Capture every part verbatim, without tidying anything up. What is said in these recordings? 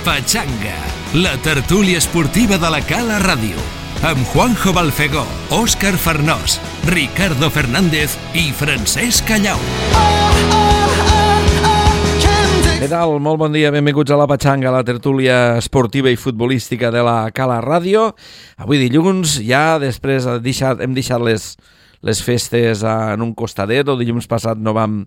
Pachanga, la tertúlia esportiva de la Cala Ràdio, amb Juanjo Balfegó, Òscar Farnós, Ricardo Fernández i Francesc Callau. Què tal? Molt bon dia, benvinguts a la Pachanga, la tertúlia esportiva i futbolística de la Cala Ràdio. Avui dilluns, ja després hem deixat, hem deixat les... les festes en un costadet, o dilluns passat no vam,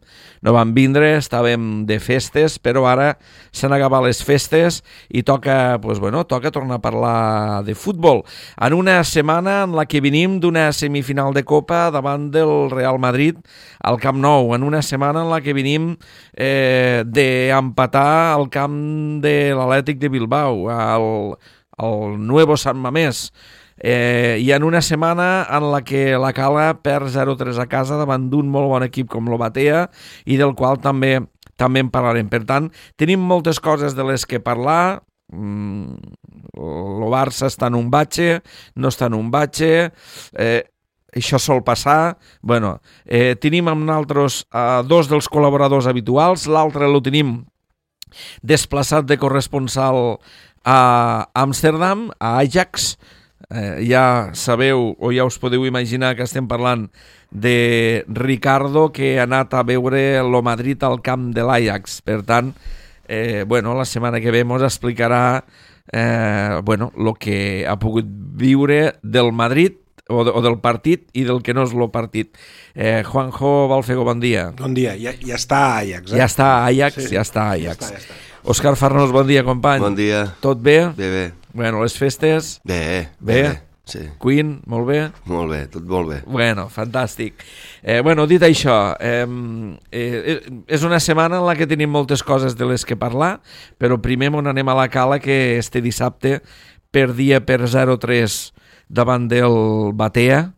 no vam vindre, estàvem de festes, però ara s'han acabat les festes i toca, pues bueno, toca tornar a parlar de futbol. En una setmana en la que venim d'una semifinal de Copa davant del Real Madrid al Camp Nou, en una setmana en la que venim eh, d'empatar al camp de l'Atlètic de Bilbao, al, al Nuevo San Mamés, Eh, i en una setmana en la que la Cala perd zero tres a casa davant d'un molt bon equip com l'Obatea i del qual també també en parlarem. Per tant, tenim moltes coses de les que parlar. Mm, el Barça està en un batxe, no està en un batxe, eh, això sol passar. Bueno, eh, tenim amb nosaltres eh, dos dels col·laboradors habituals, l'altre el tenim desplaçat de corresponsal a Amsterdam, a Ajax. Eh, ja sabeu o ja us podeu imaginar que estem parlant de Ricardo, que ha anat a veure el Madrid al camp de l'Ajax. Per tant, eh, bueno, la setmana que ve ens explicarà eh, bueno, el que ha pogut viure del Madrid o, de, o del partit i del que no és el partit. Eh, Juanjo Balfegó, bon dia. Bon dia, ja, ja està a Ajax. Eh? Ja està a Ajax, sí, ja està a Ajax. Ja està, ja està. Òscar Farnós, bon dia, company. Bon dia. Tot bé? Bé, bé. Bueno, les festes? Bé, bé. bé, sí. Queen, molt bé? Molt bé, tot molt bé. Bueno, fantàstic. Eh, bueno, dit això, eh, eh, és una setmana en la que tenim moltes coses de les que parlar, però primer on anem a la Cala, que este dissabte perdia per zero tres davant del Batea,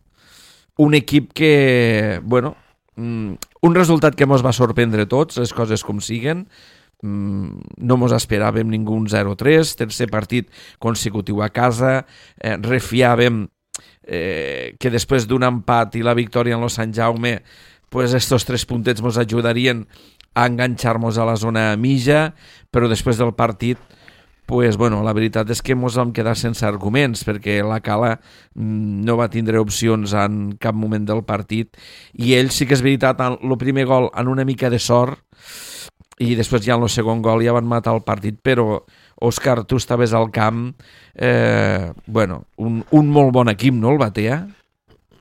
un equip que, bueno, un resultat que mos va sorprendre tots, les coses com siguen. No mos esperàvem ningú un zero tres, tercer partit consecutiu a casa, eh, refiàvem eh, que després d'un empat i la victòria en lo Sant Jaume, pues estos tres puntets mos ajudarien a enganxar-nos a la zona mitja, però després del partit, pues, bueno, la veritat és que mos vam quedar sense arguments, perquè la Cala no va tindre opcions en cap moment del partit, i ell sí que és veritat, el primer gol en una mica de sort, i després ja en el segon gol ja van matar el partit, però Òscar, tu estaves al camp, eh, bueno, un, un molt bon equip, no, el Batea?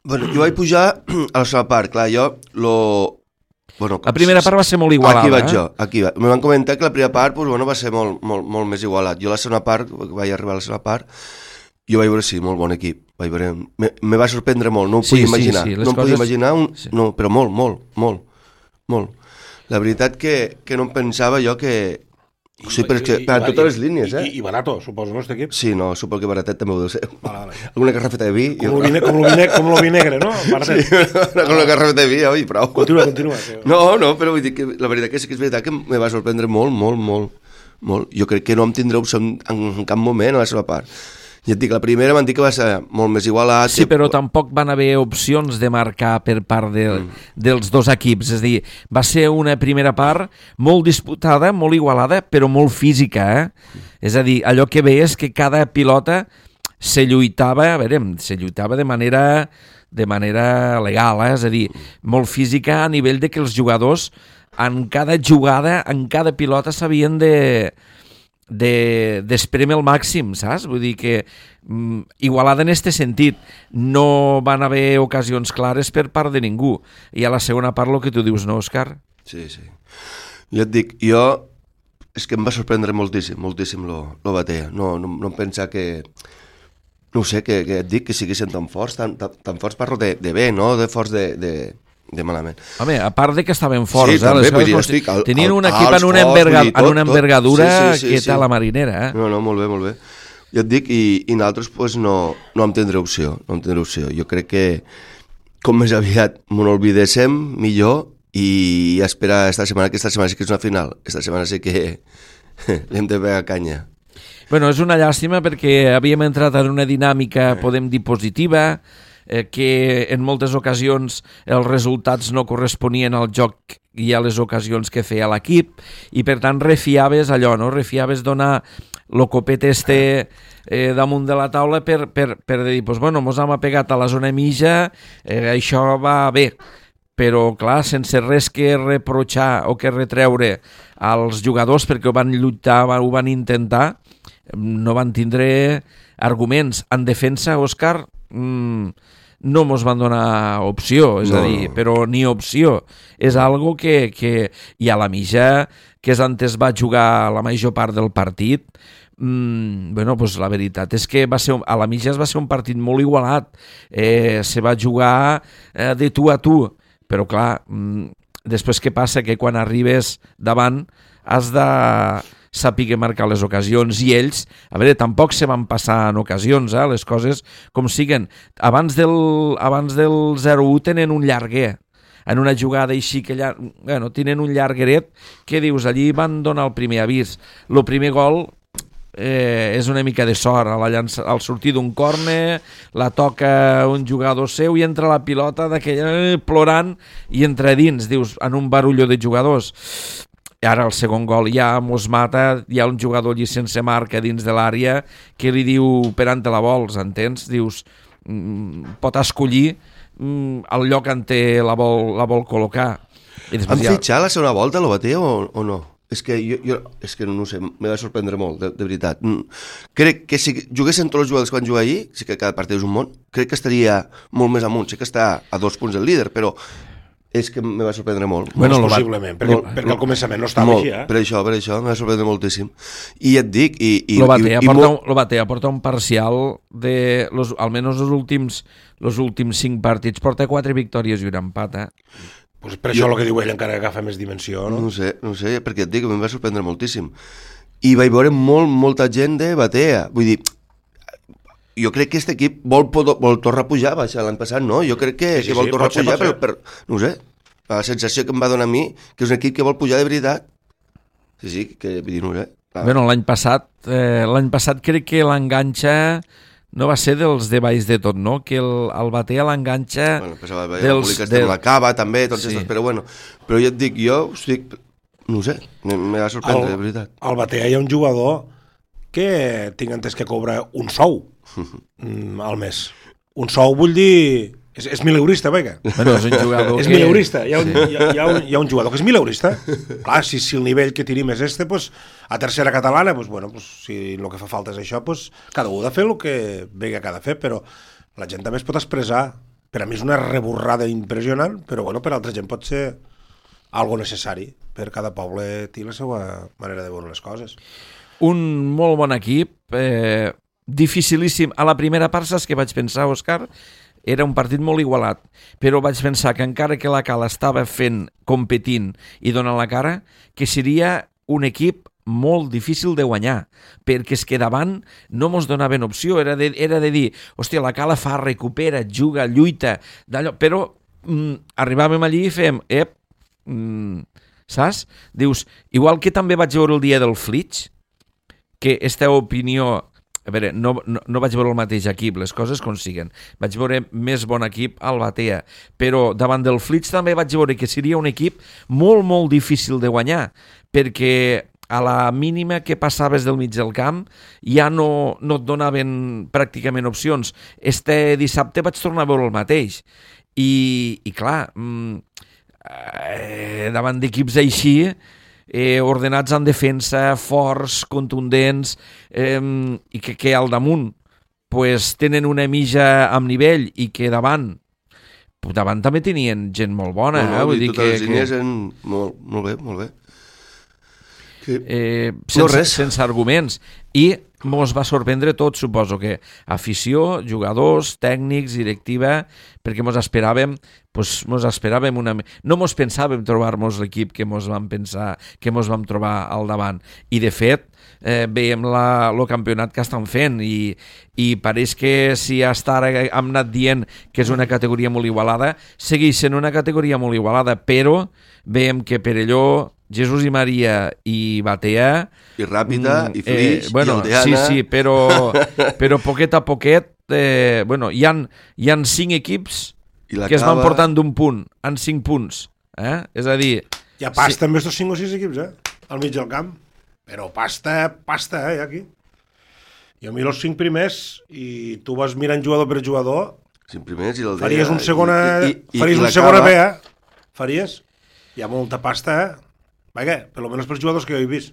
Bueno, jo vaig pujar a la segona part, clar, jo lo... Bueno, la primera part va ser molt igualada. Aquí vaig eh? jo, aquí va. Me van comentar que la primera part pues, bueno, va ser molt, molt, molt més igualat. Jo la segona part, vaig arribar a la segona part, jo vaig veure, sí, molt bon equip. Vaig veure, me, me va sorprendre molt, no ho sí, podia sí, imaginar. Sí, no em coses... podia imaginar, un... sí. no, però molt, molt, molt, molt. La veritat que, que no em pensava jo que... O sigui, però és que, per totes les línies, eh? I, i barato, suposo, no, este equip? Sí, no, suposo que baratet també ho deu ser. Vale, vale. Alguna garrafeta de vi... Com lo vi, com lo vi, com lo vi negre, no? Baratet. Sí, con una garrafeta de vi, oi, prou. Continua, continua. Sí. No, no, però vull dir que la veritat que sí que és veritat que me va sorprendre molt, molt, molt, molt. Jo crec que no em tindré opció en, en cap moment a la seva part. Ja et dic, la primera van dir que va ser molt més igualat. Sí, que... però tampoc van haver opcions de marcar per part de, mm. dels dos equips. És a dir, va ser una primera part molt disputada, molt igualada, però molt física. Eh? Mm. És a dir, allò que veies que cada pilota se lluitava, a veure, se lluitava de manera, de manera legal, eh? És a dir, molt física a nivell de que els jugadors en cada jugada, en cada pilota s'havien de... de d'espreme al màxim, saps? Vull dir que mm, igualada en este sentit, no van haver ocasions clares per part de ningú, i a la segona part el que tu dius, no, Òscar? Sí, sí. Jo et dic, jo és que em va sorprendre moltíssim, moltíssim lo, lo Batea, no, no, no em pensa que no ho sé, que, que et dic que siguessin tan forts, tan, tan, tan forts parlo de, de bé, no de forts de, de, de malament. Home, a part de que estaven forts, sí, eh? també, Les dir, estic, al, tenien un al, equip en una, forts, enverga, dir, tot, en una envergadura sí, sí, sí, que sí. tal la marinera, eh? No, no, molt bé, molt bé. Jo et dic, i, i nosaltres pues, no, no em tindré opció, no em tindré opció. Jo crec que com més aviat m'ho oblidéssim, millor, i esperar esta setmana, que esta setmana sí que és una final. Esta setmana sí que l'hem de pegar canya. Bueno, és una llàstima perquè havíem entrat en una dinàmica, podem dir, positiva, eh, que en moltes ocasions els resultats no corresponien al joc i a les ocasions que feia l'equip, i per tant refiaves allò, no? Refiaves donar el copet este eh, damunt de la taula per, per, per dir, pues, bueno, mos hem apegat a la zona mitja, eh, això va bé, però clar, sense res que reprochar o que retreure als jugadors perquè ho van lluitar, ho van intentar, no van tindre arguments. En defensa, Òscar, mmm, no mos van donar opció, és no. a dir, però ni opció. És algo que, que i a la mitja, que és antes va jugar la major part del partit, mm, bueno, pues la veritat és que va ser, a la mitja es va ser un partit molt igualat, eh, se va jugar eh, de tu a tu, però clar, mm, després què passa? Que quan arribes davant has de saber marcar les ocasions, i ells, a veure, tampoc se van passar en ocasions, eh, les coses com siguen. Abans del, abans del zero u tenen un llarguer, en una jugada així que llar... bueno, tenen un llargueret, que dius, allí van donar el primer avís. El primer gol eh, és una mica de sort, a la llança, al sortir d'un córner, la toca un jugador seu i entra la pilota d'aquella eh, plorant i entra dins, dius, en un barullo de jugadors. I ara el segon gol ja mos mata, hi ha un jugador allí sense marca dins de l'àrea que li diu per on te la vols, entens? Dius, mm, pot escollir mm, el lloc on te la vol, la vol col·locar. I Han ja... fitxat la segona volta, lo Batea, o, o no? És que jo, jo és que no sé, me va sorprendre molt, de, de veritat. Crec que si juguessin tots els jugadors que van jugar ahir, sí que cada partit és un món, crec que estaria molt més amunt, sé que està a dos punts del líder, però és que me va sorprendre molt. Bueno, molt possiblement, perquè, molt, perquè al començament no estava molt, així, eh? Per això, per això, me va sorprendre moltíssim. I et dic... I, i, lo Batea, i, i porta, molt... lo Batea porta un parcial de, los, almenys els últims, los últims cinc partits, porta quatre victòries i un empat, eh? Pues per això jo... el que diu ell encara agafa més dimensió, no? No sé, no sé, perquè et dic, em va sorprendre moltíssim. I vaig veure molt, molta gent de Batea. Vull dir, jo crec que aquest equip vol, vol tornar a pujar, va ser l'any passat, no? Jo crec que, sí, sí, que vol sí, tornar a pujar, ser, per, per, no ho sé, la sensació que em va donar a mi, que és un equip que vol pujar de veritat. Sí, sí, que vull dir, no ho sé. Ah. Bueno, l'any passat, eh, l'any passat crec que l'enganxa no va ser dels de baix de tot, no? Que el, el Batea l'enganxa bueno, pensava, dels... Que de... la cava, també, tots sí. estos, però bueno. Però jo et dic, jo estic... No ho sé, me va sorprendre, el, de veritat. Al Batea hi ha un jugador que tinc entès que cobra un sou mm, al mes. Un sou vull dir... És, és mileurista, vinga. Bueno, és un jugador és que... mileurista. Hi ha, un, hi, ha, hi, ha un, hi ha un jugador que és mileurista. Clar, si, si el nivell que tenim és este, pues, a tercera catalana, pues, bueno, pues, si el que fa falta és això, pues, cada un ha de fer el que vinga que ha de fer, però la gent també es pot expressar. Per a mi és una reborrada impressionant, però bueno, per a altra gent pot ser algo necessari. Per cada poble té la seva manera de veure les coses. Un molt bon equip, eh, dificilíssim. A la primera part, saps què vaig pensar, Òscar? Era un partit molt igualat, però vaig pensar que encara que la Cala estava fent, competint i donant la cara, que seria un equip molt difícil de guanyar, perquè és que davant no mos donaven opció, era de, era de dir, hòstia, la Cala fa, recupera, juga, lluita, d'allò, però mm, arribàvem allí i fèiem, ep, mm, saps? Dius, igual que també vaig veure el dia del Flitx, que esta opinió... A veure, no, no, no vaig veure el mateix equip, les coses com siguen. Vaig veure més bon equip al Batea, però davant del Flitx també vaig veure que seria un equip molt, molt difícil de guanyar, perquè a la mínima que passaves del mig del camp ja no, no et donaven pràcticament opcions. Este dissabte vaig tornar a veure el mateix. I, i clar, eh, davant d'equips així... Eh, ordenats en defensa, forts, contundents, eh, i que, que al damunt pues, tenen una mitja amb nivell i que davant davant també tenien gent molt bona. No, no, eh? Vull dir totes que, les línies que... en... molt, molt bé, molt bé. Que... Eh, sense, no res. sense arguments. I mos va sorprendre tot, suposo que afició, jugadors, tècnics, directiva, perquè mos esperàvem, pues, mos esperàvem una... No mos pensàvem trobar-nos l'equip que mos vam pensar, que mos vam trobar al davant. I de fet, eh, veiem la, el campionat que estan fent i, i pareix que si hasta ara hem anat dient que és una categoria molt igualada, segueix sent una categoria molt igualada, però veiem que Perelló, Jesús i Maria i Batea... I Ràpida, mm, i Flix, eh, bueno, i Aldeana... Sí, sí, però, però poquet a poquet de... Bueno, hi ha, hi ha cinc equips que l'acaba... es van portant d'un punt, en cinc punts. Eh? És a dir... Hi ha pasta sí. amb estos cinc o sis equips, eh? Al mig del camp. Però pasta, pasta, eh, aquí. Jo miro els cinc primers i tu vas mirant jugador per jugador. Cinc primers i el D. Faries un segona... I, i, faries i un segona B, eh? Faries? Hi ha molta pasta, eh? Vaja, per almenys pels jugadors que jo he vist.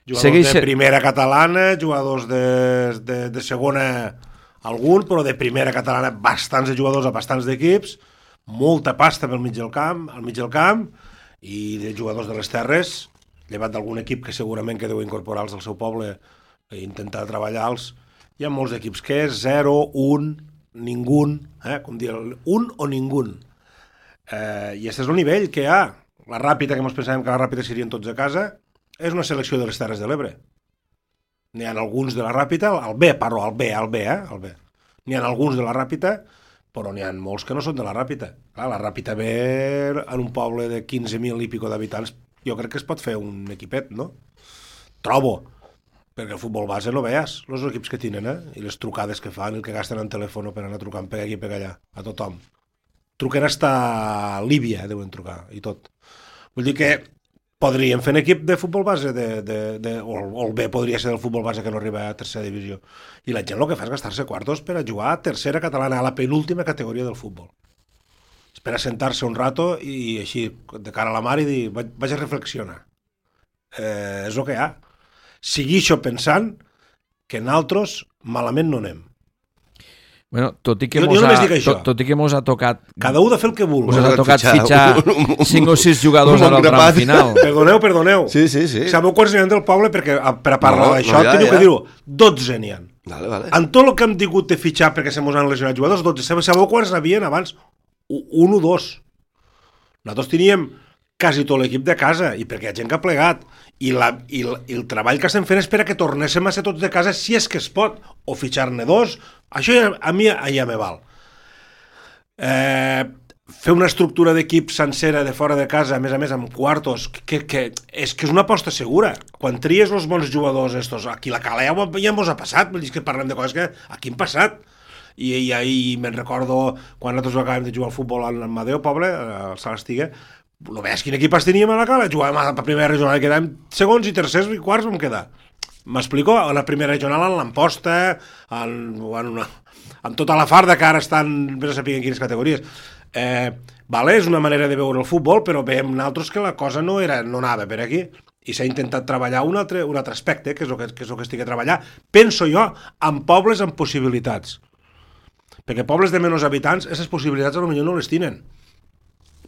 Jugadors Segueix... de primera catalana, jugadors de, de, de segona algun, però de primera catalana bastants de jugadors a bastants d'equips, molta pasta pel mig del camp, al mig del camp, i de jugadors de les terres, llevat d'algun equip que segurament que deu incorporar-los al seu poble i intentar treballar-los. Hi ha molts equips que és zero, un, ningú, eh? Com dir, un o ningú. Eh, I aquest és el nivell que hi ha. La Ràpita, que ens pensàvem que la Ràpita serien tots a casa, és una selecció de les Terres de l'Ebre. N'hi ha alguns de la Ràpita, al B, parlo, al B, al B, eh? Al B. N'hi ha alguns de la Ràpita, però n'hi ha molts que no són de la Ràpita. Clar, la Ràpita ve en un poble de quinze mil i pico d'habitants, jo crec que es pot fer un equipet, no? Trobo, perquè el futbol base no veies, els equips que tenen, eh? I les trucades que fan, el que gasten en telèfon per anar trucant per aquí i per allà, a tothom. Truquen hasta Líbia, deuen trucar, i tot. Vull dir que podríem fer un equip de futbol base, de, de, de, o, o el B podria ser del futbol base que no arriba a tercera divisió. I la gent el que fa és gastar-se quartos per a jugar a tercera catalana, a la penúltima categoria del futbol. És per a sentar-se un rato i així, de cara a la mar, i dir, vaig a reflexionar. Eh, és el que hi ha. Sigui això pensant que nosaltres malament no anem. Bueno, tot i que jo, mos jo ha, tot, tot i que mos ha tocat... Cada un de fer el que vulgui. Mos ha tocat fitxar cinc o sis jugadors al tram final. Perdoneu, perdoneu. Sí, sí, sí. Sabeu quants n'hi ha del poble? Perquè per a parlar no, d'això no, ja, teniu ja. que dir-ho. dotze n'hi ha. Vale, vale. En tot el que hem tingut de fitxar perquè se mos han lesionat jugadors, dotze. Sabeu quants n'havien abans? Un o dos. Nosaltres teníem quasi tot l'equip de casa, i perquè hi ha gent que ha plegat. I, la, i, la, i el treball que estem fent és per a que tornéssim a ser tots de casa si és que es pot, o fitxar-ne dos. Això ja, a mi ja me val. Eh, fer una estructura d'equip sencera de fora de casa, a més a més amb quartos, que, que, és que és una aposta segura. Quan tries els bons jugadors estos, aquí la Cala ja, ja mos ha passat, vull dir que parlem de coses que aquí hem passat. I, i ahir me'n recordo quan nosaltres acabem de jugar al futbol al Madeo Poble, al Sant Estiga, no veies quin equip teníem a la Cala, jugàvem a la primera regional i quedàvem segons i tercers i quarts vam quedar. M'explico? A la primera regional en l'Amposta, en, en, una, en tota la farda que ara estan, vés a saber en quines categories. Eh, vale, és una manera de veure el futbol, però veiem nosaltres que la cosa no, era, no anava per aquí. I s'ha intentat treballar un altre, un altre aspecte, que és el que, que, és el que estic a treballar, penso jo, amb pobles amb possibilitats. Perquè pobles de menys habitants, aquestes possibilitats potser no les tenen.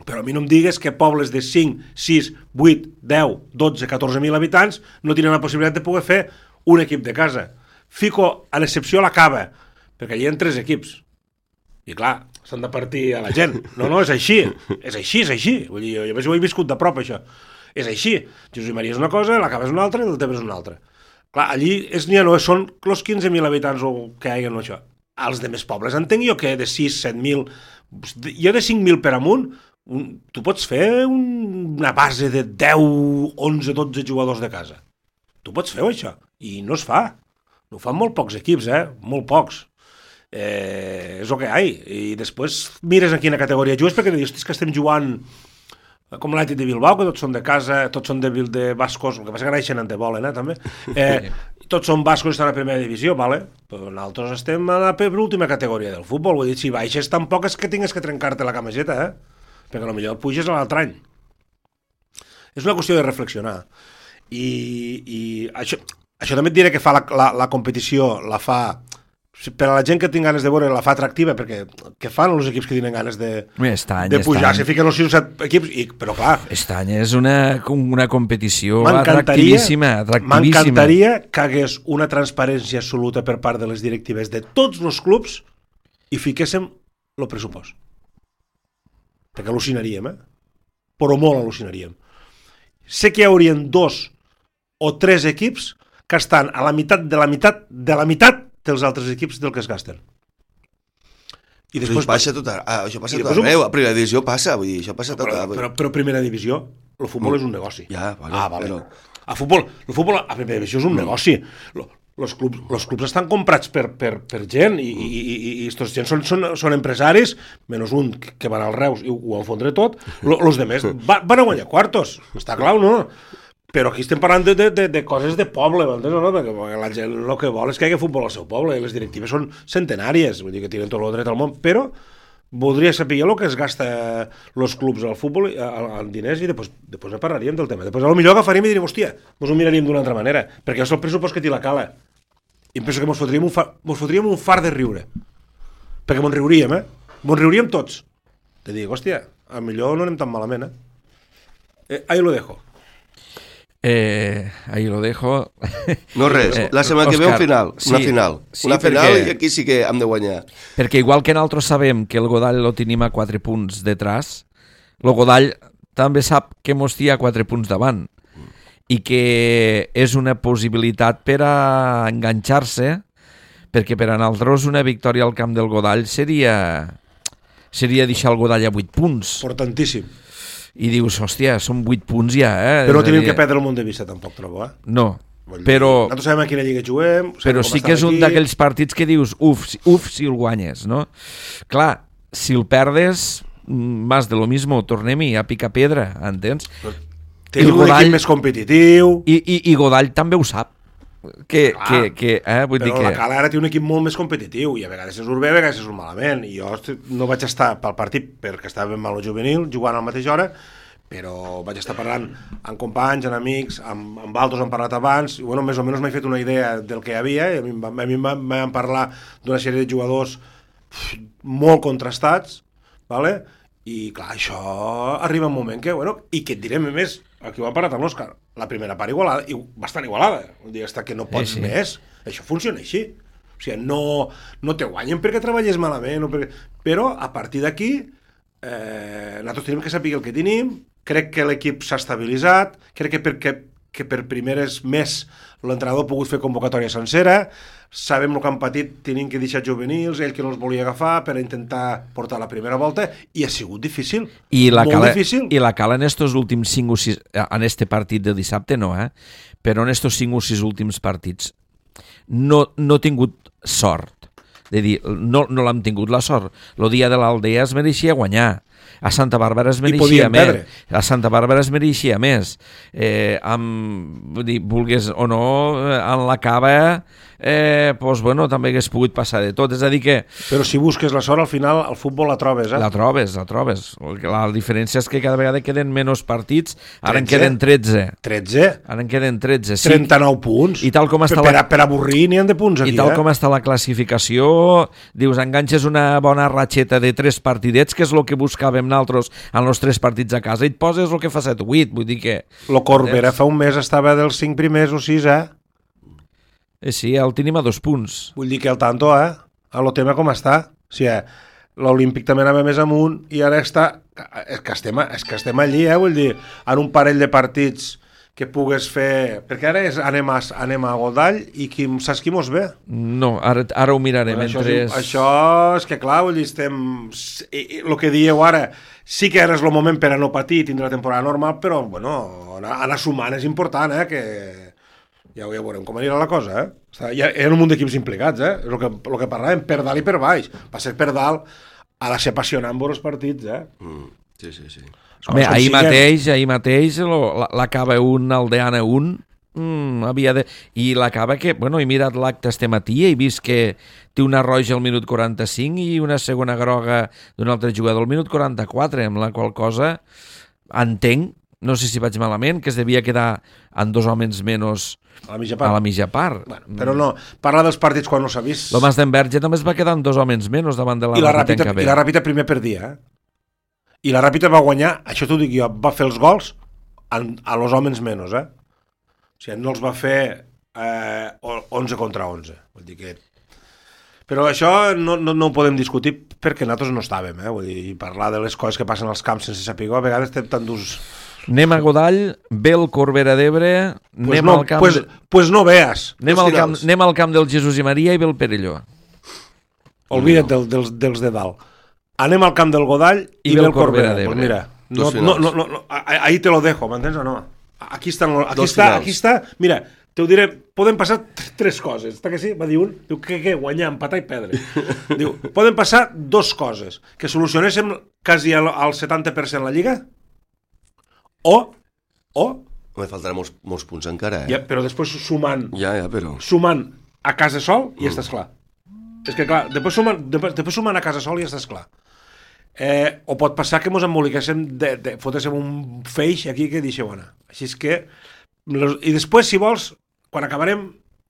Però a mi no em digues que pobles de cinc, sis, vuit, deu, dotze, catorze mil habitants no tenen la possibilitat de poder fer un equip de casa. Fico a l'excepció la Cava, perquè allà hi ha tres equips. I clar, s'han de partir a la gent. No, no, és així. És així, és així. Vull dir, jo, jo ho he viscut de prop, això. És així. Josep Maria és una cosa, la Cava és una altra i el Tebe és una altra. Clar, allí és, no, són els quinze mil habitants que hi ha en això. Els de més pobles entenc jo que de sis, set mil, jo de cinc mil per amunt, Un, tu pots fer un, una base de deu, onze, dotze jugadors de casa. Tu pots fer això. I no es fa. No ho fan molt pocs equips, eh? Molt pocs. Eh, és el que hi ha. I després mires en quina categoria jugues, perquè dius que estem jugant com l'Atlètic de Bilbao, que tots són de casa, tots són de, de bascos, el que passa que naixen en te volen, eh, també. Eh, tots són bascos i estan a primera divisió, vale? Però nosaltres estem a la penúltima categoria del futbol. Vull dir, si baixes tampoc és que tingues que trencar-te la camiseta, eh? Perquè potser puges a l'altre any. És una qüestió de reflexionar. I, i això, això també et diré que fa la, la, la competició, la fa... Per a la gent que tinc ganes de veure, la fa atractiva, perquè què fan els equips que tenen ganes de, any, de pujar? Se fiquen els sis o set equips, i, però clar... Aquest any és una, una competició atractivíssima, atractivíssima. M'encantaria que hagués una transparència absoluta per part de les directives de tots els clubs i fiquéssim el pressupost. Perquè al·lucinaríem, eh? Però molt al·lucinaríem. Sé que hi haurien dos o tres equips que estan a la meitat de la meitat de la meitat dels altres equips del que es gasten. I després passa tot a, ah, això passa tot arreu, a primera divisió passa, vull dir, això passa tot però, arreu. Però, però primera divisió, el futbol mm. és un negoci. Ja, vale, ah, vale. Però... A futbol, el futbol a primera divisió és un mm. negoci. els clubs, los clubs estan comprats per, per, per gent i, i, i, i estos gent són, són, són empresaris, menys un que van al Reus i ho, ho van fondre tot, els demés va, van a guanyar quartos, està clar, no? Però aquí estem parlant de, de, de, de coses de poble, m'entens o no? Perquè la gent el que vol és que hi hagi futbol al seu poble i les directives són centenàries, vull dir que tenen tot el dret al món, però voldria saber el que es gasta els clubs al futbol en diners i després, després ne parlaríem del tema. Després potser agafaríem i diríem, hòstia, ens ho miraríem d'una altra manera, perquè és el pressupost que té la Cala. I em penso que ens fotríem un, fa, ens fotríem un far de riure. Perquè ens riuríem, eh? Ens riuríem tots. Te dic, hòstia, a millor no anem tan malament, eh? eh ahí lo dejo. Eh, ahí lo dejo. No res, la setmana que ve un final, sí, una final. Sí, una final perquè, i aquí sí que hem de guanyar. Perquè igual que nosaltres sabem que el Godall lo tenim a quatre punts detrás, el Godall també sap que mos té a quatre punts davant i que és una possibilitat per a enganxar-se, perquè per a nosaltres una victòria al camp del Godall seria seria deixar el Godall a vuit punts. Importantíssim. I dius, hòstia, són vuit punts ja, eh? Però no tenim que perdre el món de vista, tampoc, trobo, eh? No, però... Nosaltres sabem a quina lliga juguem... Però sí que és un d'aquells partits que dius, uf, uf, si el guanyes, no? Clar, si el perdes, más de lo mismo, tornem-hi a picar pedra, entens? Tenim un equip més competitiu... I, i, i Godall també ho sap. Que, que, que, eh, vull però dir que... la Cala ara té un equip molt més competitiu i a vegades és bé, a vegades és malament i jo no vaig estar pel partit perquè estava ben mal el juvenil, jugant a la mateixa hora, però vaig estar parlant amb companys, amb amics, amb, amb altres han parlat abans i bueno, més o menys m'he fet una idea del que hi havia i a mi, a mi em van parlar d'una sèrie de jugadors molt contrastats, vale? I clar, això arriba un moment que, bueno, i que et direm més, aquí ho han parlat amb l'Òscar, la primera part igualada, i bastant igualada, un dia està que no pots sí, sí. més, això funciona així, o sigui, no, no te guanyen perquè treballes malament, o perquè... però a partir d'aquí, eh, nosaltres tenim que saber el que tenim, crec que l'equip s'ha estabilitzat, crec que, per, que, que per primeres més l'entrenador ha pogut fer convocatòria sencera, sabem el que han patit, tenim que deixar juvenils, ell que no els volia agafar per intentar portar la primera volta, i ha sigut difícil, I la molt cala, difícil. I la Cala en estos últims cinc o sis, en este partit de dissabte no, eh? Però en estos cinc o sis últims partits no, no ha tingut sort, de dir, no, no l'hem tingut la sort. El dia de l'Aldea es mereixia guanyar, a Santa Bàrbara es mereixia més, perdre. a Santa Bàrbara es mereixia més, eh, amb, vull dir, vulgues o no, en la Cava, eh, pues, bueno, també hagués pogut passar de tot, és a dir que... Però si busques la sort, al final, al futbol la trobes, eh? La trobes, la trobes. La diferència és que cada vegada queden menys partits, ara en queden tretze. tretze? Ara en queden tretze, sí. trenta-nou punts. I tal com està per, la... per avorrir n'hi ha de punts aquí, I tal eh? com està la classificació, dius, enganxes una bona ratxeta de tres partidets, que és el que buscàvem nosaltres en els tres partits a casa, i et poses el que fa set o vuit, vull dir que... Lo Corbera fa un mes estava dels cinc primers o sis, eh? Eh, sí, el tenim a dos punts. Vull dir que el tanto, eh? A lo tema com està. O sigui, l'Olímpic també anava més amunt i ara està... És que estem, és que estem allí, eh? Vull dir, en un parell de partits que pugues fer... Perquè ara és, anem, a, anem a Godall i qui, saps qui mos ve? No, ara, ara ho mirarem. Bueno, això, entre... és, això és que clar, vull dir, estem... El que dieu ara, sí que ara és el moment per a no patir, tindre la temporada normal, però, bueno, anar, anar sumant és important, eh? Que... Ja, ja veurem com anirà la cosa, eh? Hi ha, hi ha un munt d'equips implicats, eh? És el que, el que parlàvem, per dalt i per baix. Va ser per dalt, ha de ser apassionant veure els partits, eh? Mm, sí, sí, sí. Home, ahir mateix, ahir mateix, l'acaba un, Aldeana un, mm, havia de... I l'acaba que, bueno, he mirat l'acte este matí i he vist que té una roja al minut quaranta-cinc i una segona groga d'un altre jugador al minut quaranta-quatre, amb la qual cosa entenc, no sé si vaig malament, que es devia quedar amb dos homes menys a la mitja part. A la mitja part. Bueno, però no, parla dels partits quan no s'ha vist. L'Homes d'Enverge també es va quedar amb dos homes menys davant de la I la Ràpita. I la Ràpita primer perdia, eh? I la Ràpita va guanyar, això t'ho dic jo, va fer els gols a, a los homes menys, eh? O sigui, no els va fer eh, onze contra onze. Vull dir que... Però això no, no, no ho podem discutir perquè nosaltres no estàvem, eh? Vull dir, parlar de les coses que passen als camps sense saber, a vegades estem tan durs... Anem a Godall, ve el Corbera d'Ebre, anem pues no, al camp... Pues, pues no veas. Anem al, camp, anem al camp del Jesús i Maria i ve el Perelló. Olvida't del, dels, dels de dalt. Anem al camp del Godall i, I ve el Corbera, Corbera d'Ebre. Pues mira, no, no, no, no, no, ahí te lo dejo, m'entens o no? Aquí està, aquí està, aquí està, mira, Te ho diré, poden passar tres coses. Està que sí? Va dir un, diu que què, guanyar, empatar i perdre. Diu, poden passar dos coses. Que solucionéssim quasi al, al setanta per cent la Lliga, o, o... Me faltaran molts, molts punts encara, eh? Ja, però després sumant, Ja, ja, però... sumant a casa sol i mm. estàs clar. És que clar, després sumant, després, després sumant a casa sol i estàs clar. Eh, o pot passar que mos emboliquéssim, de, de, fotéssim un feix aquí que deixeu anar. Així és que... I després, si vols, quan acabarem,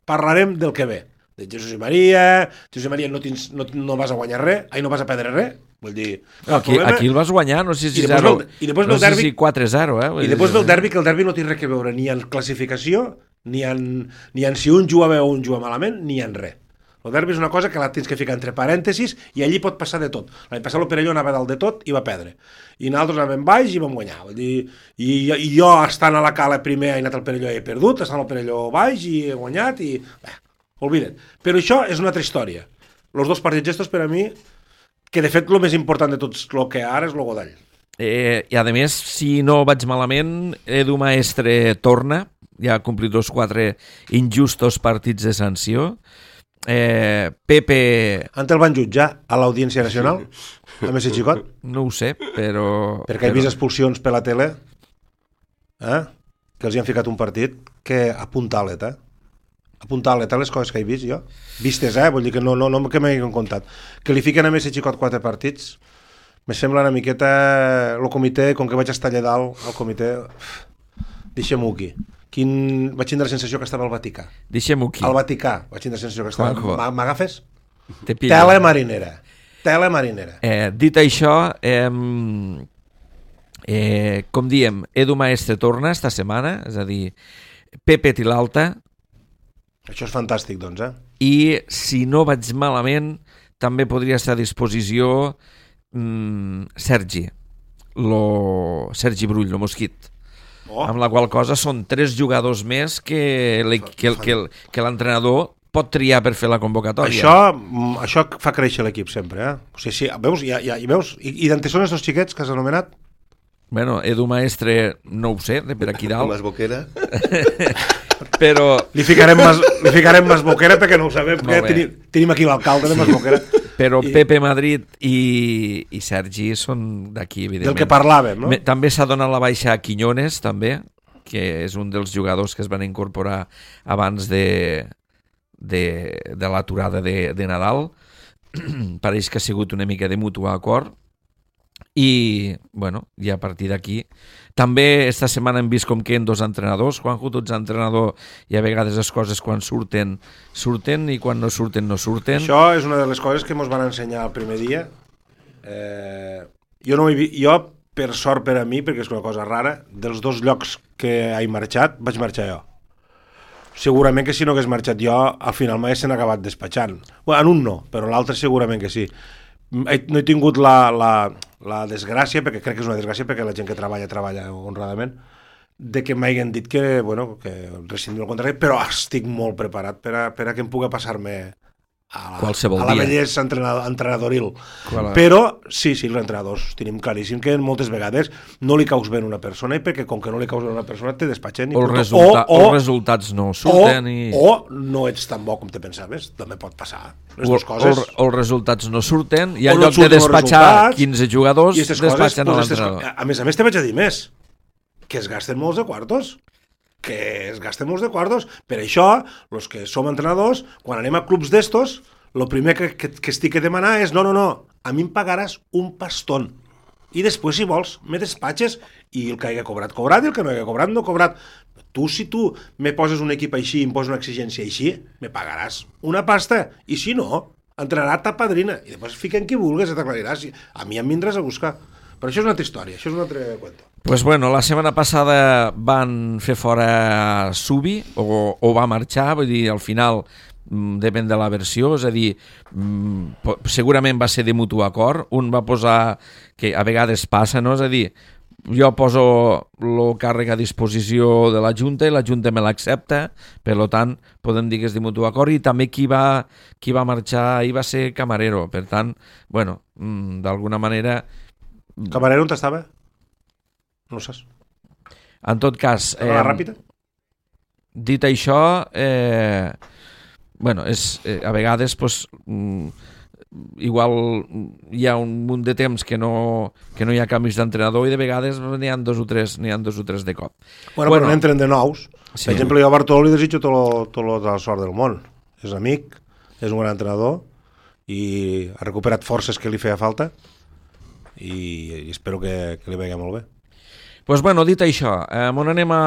parlarem del que ve. De Jesús i Maria, Jesús i Maria no, tens, no, no vas a guanyar res, ai, no vas a perdre res. Vull dir, no, aquí, aquí el vas guanyar, no sé si I després, ve, i després no ve el derbi, sé si quatre zero, eh? I després ve el derbi, que el derbi no té res que veure ni en classificació, ni en, ni en si un juga bé o un juga malament, ni en res. El derbi és una cosa que la tens que ficar entre parèntesis i allí pot passar de tot. L'any passat el Perelló anava dalt de tot i va perdre. I nosaltres anàvem baix i vam guanyar. Vull dir, i, i jo, estant a la cala primer, he anat al Perelló i he perdut, estant al Perelló baix i he guanyat i... Bé, olvida't. Però això és una altra història. Els dos partits estos, per a mi, que de fet el més important de tots el que ara és el Godall. Eh, I a més, si no vaig malament, Edu Maestre torna, ja ha complit els quatre injustos partits de sanció. Eh, Pepe... Ant el van jutjar a l'Audiència Nacional, a Messi Xicot? No ho sé, però... Perquè he vist expulsions per la tele, eh? Que els hi han ficat un partit que apuntalet, eh? Apuntalet a les coses que he vist jo. Vistes, eh? Vull dir que no, no, no que m'hagin contat. Que li fiquen a Messi Xicot quatre partits, me sembla una miqueta... El comitè, com que vaig estar allà dalt, el comitè... Deixem-ho aquí. Quin... Vaig tindre la sensació que estava al Vaticà. Deixem-ho aquí. Al Vaticà. Vaig tindre la sensació que estava... M'agafes? Tele marinera. Tele marinera. Eh, dit això, eh, eh, com diem, Edu Maestre torna esta setmana, és a dir, Pepe Tilalta. Això és fantàstic, doncs, eh? I, si no vaig malament, també podria estar a disposició mm, Sergi, lo... Sergi Brull, el mosquit. Oh. Amb la qual cosa són tres jugadors més que, que, que, que l'entrenador pot triar per fer la convocatòria. Això, això fa créixer l'equip sempre, eh? O sigui, sí, veus, ja, ja, i veus, i, i d'on són aquests xiquets que has anomenat? Bueno, Edu Maestre no ho sé, de per aquí dalt. Mas Boquera. Però... Li ficarem Mas, li ficarem Mas Boquera perquè no ho sabem, perquè tenim, tenim aquí l'alcalde de Mas Boquera. Però I... Pepe Madrid i, i Sergi són d'aquí, evidentment. Del que parlàvem, no? Me, també s'ha donat la baixa a Quiñones, també, que és un dels jugadors que es van incorporar abans de, de, de l'aturada de, de Nadal. Pareix que ha sigut una mica de mutu acord. I, bueno, i a partir d'aquí també esta setmana hem vist com queden dos entrenadors. Juanjo, tu ets entrenador i a vegades les coses quan surten surten i quan no surten no surten. Això és una de les coses que ens van ensenyar el primer dia. eh, jo, no he vist, jo per sort per a mi, perquè és una cosa rara, dels dos llocs que he marxat vaig marxar jo. Segurament que si no hagués marxat jo al final m'haguessin acabat despatxant. Bueno, en un no, però l'altre segurament que sí. No he tingut la, la, la desgràcia, perquè crec que és una desgràcia perquè la gent que treballa, treballa honradament, de que m'hagin dit que, bueno, que rescindim el contracte, però estic molt preparat per a, per a que em pugui passar-me a la, qualsevol a la dia. bellesa entrenador, entrenadoril. Qual... Però, sí, sí, els entrenadors tenim claríssim que moltes vegades no li caus bé a una persona i perquè com que no li caus bé a una persona te despatxen. O, el resulta... o, o els resultats no surten. O, i... o no ets tan bo com te pensaves, també pot passar. Les dues coses... O, o els resultats no surten i en lloc de despatxar quinze jugadors despatxen a l'entrenador. A més a més te vaig a dir més, que es gasten molts de quartos. que es gasten molts de quartos. Per això, els que som entrenadors, quan anem a clubs d'estos, el primer que, que, que estic a demanar és no, no, no, a mi em pagaràs un pastón. I després, si vols, me despatxes i el que hagi cobrat, cobrat, i el que no hagi cobrat, no cobrat. Tu, si tu me poses un equip així i em poses una exigència així, me pagaràs una pasta. I si no, entrenarà ta padrina. I després fiquen qui vulguis, t'aclariràs. A mi em vindràs a buscar. Però això és una altra història, això és un altre cuento. Pues bueno, la setmana passada van fer fora Subi, o, o va marxar, vull dir, al final depèn de la versió, és a dir, segurament va ser de mutu acord, un va posar, que a vegades passa, no? És a dir, jo poso el càrrec a disposició de la Junta i la Junta me l'accepta, per tant, podem dir que és de mutu acord, i també qui va, qui va marxar ahir va ser Camarero, per tant, bueno, d'alguna manera... Camarero on estava? No ho saps. En tot cas... Eh, la ràpida? dit això, eh, bueno, és, eh, a vegades pues, mm, igual hi ha un munt de temps que no, que no hi ha canvis d'entrenador i de vegades n'hi ha dos o tres, n'hi ha dos o tres de cop. Bueno, bueno, però n'entren de nous. Sí. Per exemple, jo a Bartoló li desitjo tot tota la sort del món. És amic, és un gran entrenador i ha recuperat forces que li feia falta i, i espero que, que li vegi molt bé. Pues bueno, dit això, eh, on anem a,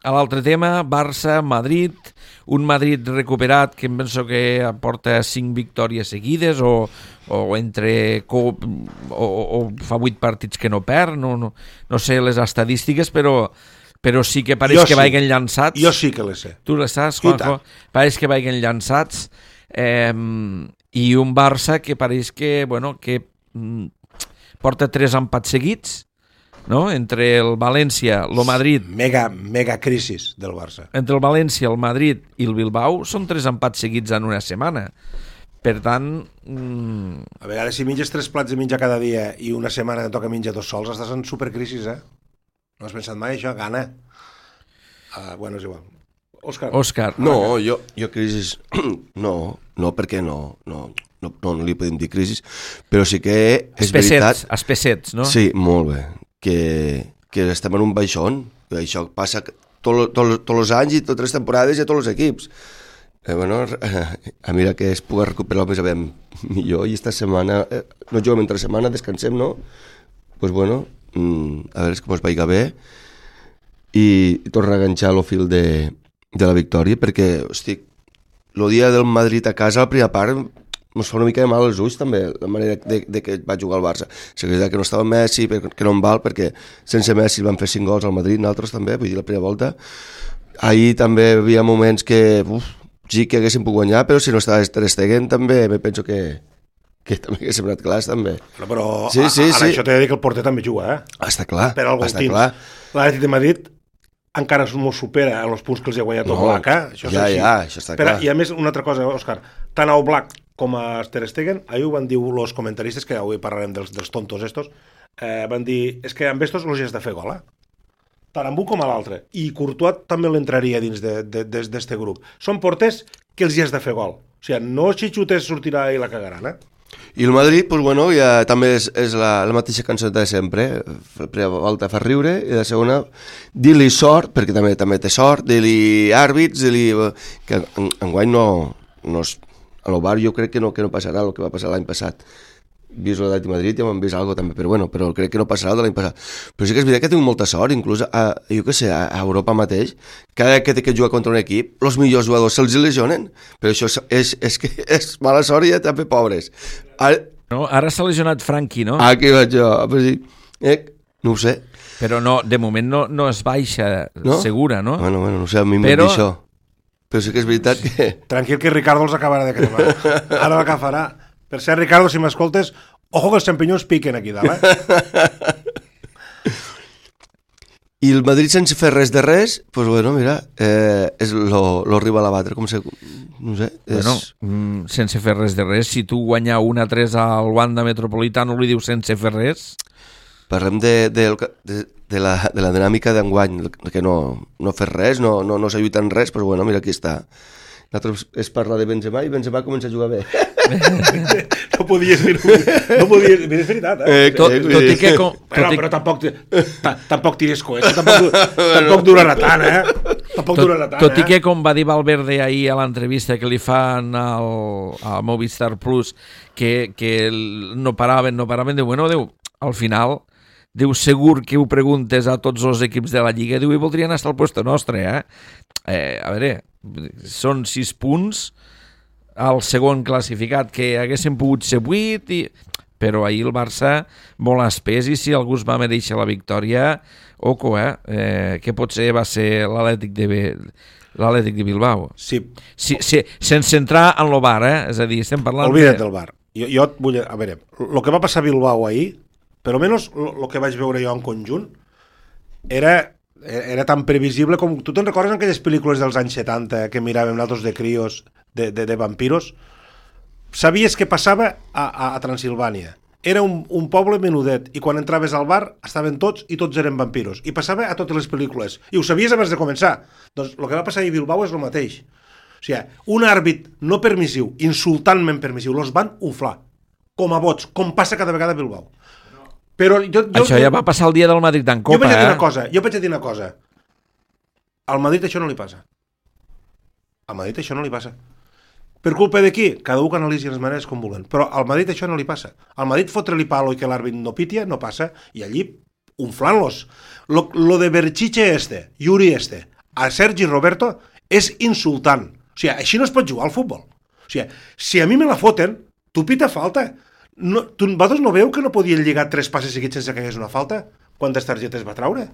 a l'altre tema, Barça-Madrid, un Madrid recuperat que em penso que aporta cinc victòries seguides o, o entre o, o, o fa vuit partits que no perd, no, no, no sé les estadístiques, però, però sí que pareix jo que sí. vaguen llançats. Jo sí que les sé. Tu les saps, Juanjo? Pareix que vaguen llançats eh, i un Barça que pareix que, bueno, que mm, porta tres empats seguits, no? Entre el València, el Madrid... Mega, mega crisis del Barça. Entre el València, el Madrid i el Bilbao són tres empats seguits en una setmana. Per tant... Mmm... A vegades si menges tres plats de menjar cada dia i una setmana que toca menjar dos sols, estàs en supercrisis, eh? No has pensat mai això? Gana. Uh, bueno, és igual. Òscar. Òscar. No, jo, jo crisis... No, no, perquè no, no, no, no, no li podem dir crisis, però sí que és Espessets, veritat... espessets, no? Sí, molt bé. Que, que estem en un baixón. Això passa tots tot, tot els anys i totes les temporades i a tots els equips. Eh, bueno, a mira que es pugui recuperar el més aviat millor i esta setmana, eh, no juguem entre setmana, descansem, no? Doncs pues bueno, mm, a veure com es vaiga bé i, i tornar a enganxar el fil de, de la victòria, perquè, hosti, el dia del Madrid a casa, la primera part, ens fa una mica de mal als ulls també, la manera de, de que va jugar el Barça. Seguida que no estava Messi, que no en val, perquè sense Messi van fer cinc gols al Madrid, nosaltres també, vull dir, la primera volta. Ahir també hi havia moments que, uf, sí que haguéssim pogut guanyar, però si no estava Ter Stegen també, me penso que, que també hagués sembrat clars, també. Però, però sí, sí, ara sí. Això t'he de dir que el porter també juga, eh? Està clar, per algun està temps. clar. L'Atlètic de Madrid encara no supera en els punts que els ha guanyat No, Oblak, eh? Això és ja, així. ja, això està Però, clar. I a més, una altra cosa, Òscar, tant a Oblak com a Ter Stegen, ahir ho van dir els comentaristes, que avui parlarem dels, dels tontos estos, eh, van dir, és que amb estos els has de fer gol, eh? Tant amb un com a l'altre. I Courtois també l'entraria dins d'aquest de, de, de, grup. Són porters que els hi has de fer gol. O sigui, no xitxutes sortirà i la cagaran, eh? I el Madrid, pues bueno, ja també és, és la, la mateixa cançoneta de sempre. La primera volta fa riure i la segona dir-li sort, perquè també també té sort, dir-li àrbits, dir-li que en, enguany no, no és, a l'Ovar jo crec que no, que no passarà el que va passar l'any passat. Vist l'Atlètic de Madrid ja m'han vist alguna cosa també, però bueno, però crec que no passarà el de l'any passat. Però sí que és veritat que he tingut molta sort, inclús a, jo què sé, a Europa mateix, cada que té que jugar contra un equip, els millors jugadors se'ls lesionen, però això és, és, és, que és mala sort i ja també pobres. Ara, no, ara s'ha lesionat Franqui, no? Aquí vaig jo, però sí, eh, no ho sé. Però no, de moment no, no es baixa no? segura, no? Bueno, bueno, no sé, a mi m'han però... dit això. Però sí que és veritat que... Tranquil que Ricardo els acabarà de cremar. Ara l'agafarà. Per cert, Ricardo, si m'escoltes, ojo que els xampinyons piquen aquí dalt, eh? I el Madrid sense fer res de res, doncs pues bueno, mira, eh, és lo, lo rival a batre, com se... No sé, és... Bueno, mm, sense fer res de res, si tu guanyar un a tres al Wanda Metropolitano li dius sense fer res... Parlem de, de, de, de, la, de la dinàmica d'enguany, que no, no fer res, no, no, no s'ajuda en res, però bueno, mira, aquí està. Nosaltres es parla de Benzema i Benzema comença a jugar bé. No podies dir-ho. No podies... És veritat, eh? eh tot, tot i que... Com, tot però, i... però tampoc, tampoc tires coets, tampoc, tampoc durarà tant, eh? Tampoc tot, durarà tant, tot i eh? que, com va dir Valverde ahir a l'entrevista que li fan al, a Movistar Plus, que, que no paraven, no paraven, diu, bueno, diu, al final... Diu, segur que ho preguntes a tots els equips de la Lliga, diu, i voldrien estar al lloc nostre, eh? eh? A veure, són sis punts al segon classificat, que haguessin pogut ser vuit, i... però ahir el Barça molt espès, i si algú es va mereixer la victòria, oco, eh? eh que potser va ser l'Atlètic de, l'Atlètic de Bilbao. Sí. Sí, sí, sense entrar en el bar, eh? És a dir, estem parlant... Olvida't de... del bar. Jo, jo et vull... A veure, el que va passar a Bilbao ahir, per almenys el que vaig veure jo en conjunt, era, era tan previsible com... Tu te'n recordes aquelles pel·lícules dels anys setanta que miràvem nosaltres de crios, de, de, de vampiros? Sabies què passava a, a, a Transilvània era un, un poble menudet i quan entraves al bar estaven tots i tots eren vampiros i passava a totes les pel·lícules i ho sabies abans de començar. Doncs el que va passar a Bilbao és el mateix. O sigui, un àrbit no permissiu, insultantment permissiu, los van uflar com a bots, com passa cada vegada a Bilbao. Però jo, jo, això ja va passar el dia del Madrid en Copa, jo vaig a dir eh? una cosa, jo vaig a dir una cosa. Al Madrid això no li passa. Al Madrid això no li passa. Per culpa de qui? Cada un que analitzi les maneres com vulguin. Però al Madrid això no li passa. Al Madrid fotre-li palo i que l'àrbit no pitia no passa, i allí unflant-los. Lo, lo de Berchiche este, Yuri este, a Sergi Roberto és insultant. O sigui, així no es pot jugar al futbol. O sigui, si a mi me la foten, tu pita falta. No, tu, vosaltres no veu que no podien lligar tres passes seguits sense que hi hagués una falta? Quantes targetes va traure?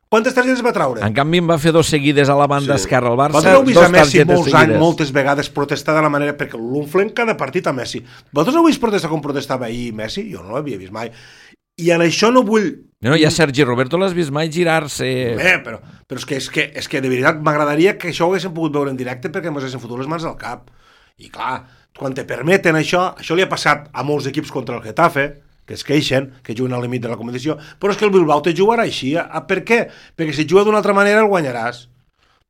Quantes targetes va traure? En canvi en va fer dos seguides a la banda sí. esquerra al Barça. Vosaltres heu vist a Messi molts anys, moltes vegades protestar de la manera, perquè l'unflen cada partit a Messi. Vosaltres heu vist protestar com protestava ahir Messi? Jo no l'havia vist mai. I en això no vull... No, ja Sergi Roberto l'has vist mai girar-se... Eh, però, però és, que, és, que, és que de veritat m'agradaria que això ho haguéssim pogut veure en directe perquè ens haguessin fotut les mans al cap. I clar, quan te permeten això, això li ha passat a molts equips contra el Getafe, que es queixen, que juguen al límit de la competició, però és que el Bilbao te jugarà així. A, per què? Perquè si et juga d'una altra manera el guanyaràs.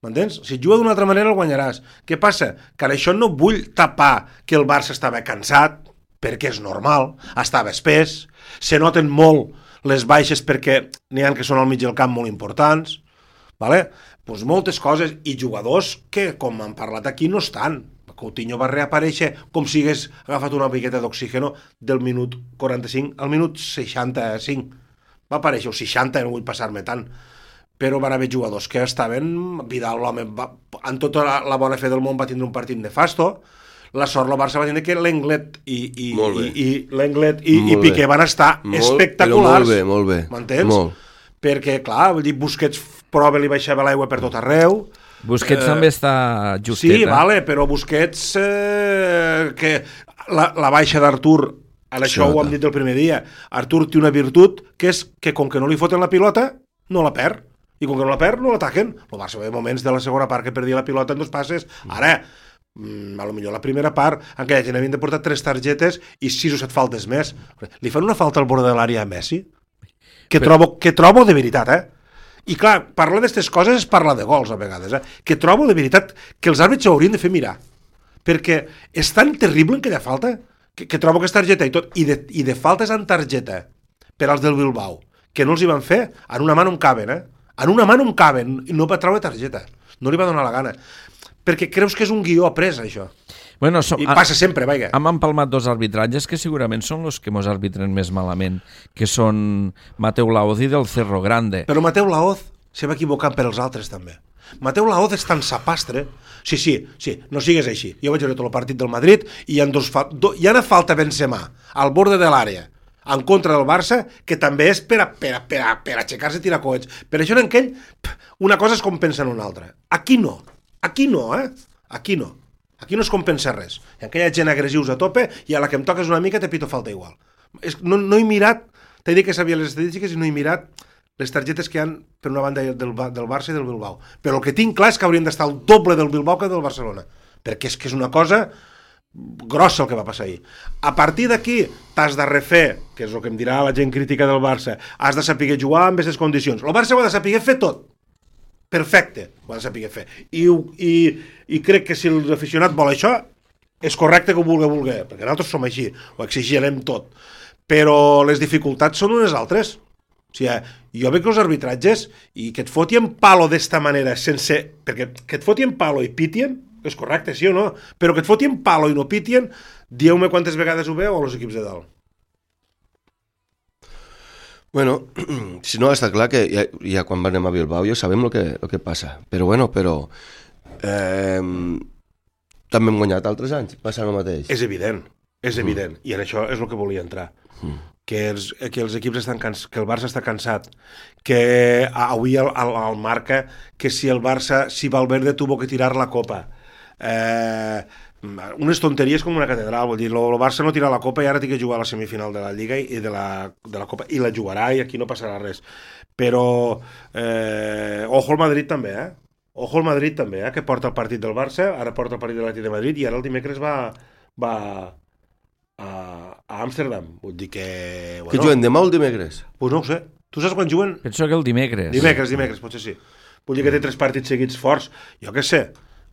M'entens? Si et juga d'una altra manera el guanyaràs. Què passa? Que en això no vull tapar que el Barça estava cansat, perquè és normal, estava espès, se noten molt les baixes perquè n'hi ha que són al mig del camp molt importants, vale? Pues moltes coses, i jugadors que, com han parlat aquí, no estan. Coutinho va reaparèixer com si hagués agafat una piqueta d'oxígeno del minut quaranta-cinc al minut seixanta-cinc. Va aparèixer, o seixanta, no vull passar-me tant. Però van haver jugadors que estaven... Vidal, l'home, va, en tota la, la bona fe del món va tindre un partit nefasto. La sort, el Barça va tindre que l'Englet i, i, i, i, l'Englet i, i Piqué van estar molt, espectaculars. Molt bé, molt bé. M'entens? Molt. Perquè, clar, vull dir, Busquets prova li baixava l'aigua per tot arreu. Busquets eh, també està justet. Sí, eh? vale, però Busquets, eh, que la, la baixa d'Artur, en això ho hem dit el primer dia, Artur té una virtut, que és que com que no li foten la pilota, no la perd. I com que no la perd, no l'ataquen. El Barça va haver moments de la segona part que perdia la pilota en dos passes. Ara, mm, a lo millor la primera part, en què havien de portar tres targetes i sis o set faltes més. Li fan una falta al bord de l'àrea a Messi? Que, però... trobo, que trobo de veritat, eh? I clar, parlar d'aquestes coses és parlar de gols a vegades, eh? Que trobo de veritat que els àrbits s'haurien de fer mirar, perquè és tan terrible en aquella falta que, que trobo que és targeta i tot, i de, i de faltes en targeta per als del Bilbao, que no els hi van fer, en una mà no em caben, eh? En una mà no em caben, i no va treure targeta, no li va donar la gana, perquè creus que és un guió après, això. Bueno, som, I passa sempre, vaja. Hem empalmat dos arbitratges que segurament són els que mos arbitren més malament, que són Mateu Laoz i del Cerro Grande. Però Mateu Laoz se va equivocant per als altres, també. Mateu Laoz és tan sapastre. Sí, sí, sí, no sigues així. Jo vaig veure tot el partit del Madrid i hi ha, dos fa... do... hi ha una falta Benzema al borde de l'àrea en contra del Barça, que també és per, a, per, a, per, a, per aixecar-se i tirar coets. Per això en aquell, una cosa és com pensa en una altra. Aquí no. Aquí no, eh? Aquí no. Aquí no es compensa res. Hi ha aquella gent agressius a tope i a la que em toques una mica te pito falta igual. És, no, no he mirat, t'he dit que sabia les estadístiques i no he mirat les targetes que hi ha per una banda del, del Barça i del Bilbao. Però el que tinc clar és que haurien d'estar el doble del Bilbao que del Barcelona. Perquè és que és una cosa grossa el que va passar ahir. A partir d'aquí t'has de refer, que és el que em dirà la gent crítica del Barça, has de saber jugar amb aquestes condicions. El Barça ho ha de saber fer tot. Perfecte, ho ha de saber fer. I, i, i crec que si l'aficionat vol això, és correcte que ho vulgui, vulgui, perquè nosaltres som així, ho exigirem tot. Però les dificultats són unes altres. O sigui, jo veig els arbitratges i que et fotien palo d'esta manera, sense... perquè que et fotien palo i pitien, és correcte, sí o no? Però que et fotien palo i no pitien, dieu-me quantes vegades ho veu a els equips de dalt. Bueno, si no, està clar que ja, ja quan anem a Bilbao ja sabem el que, el que passa, però bueno, però eh, també hem guanyat altres anys, passa el mateix. És evident, és evident, mm. I en això és el que volia entrar, mm. que, els, que els equips estan cans, que el Barça està cansat, que avui el, el, el marca que si el Barça, si Valverde tuvo que tirar la copa, eh, unes tonteries com una catedral, vull dir, el Barça no tira la Copa i ara té que jugar a la semifinal de la Lliga i de la, de la Copa, i la jugarà i aquí no passarà res. Però eh, ojo al Madrid també, eh? Ojo al Madrid també, eh? Que porta el partit del Barça, ara porta el partit de l'Atlètic de Madrid i ara el dimecres va, va, a, a Amsterdam. Vull dir que... Bueno, que juguen demà o el dimecres? Pues no ho sé. Tu saps quan juguen? Penso que el dimecres. Dimecres, dimecres, potser sí. Vull dir que té tres partits seguits forts. Jo què sé,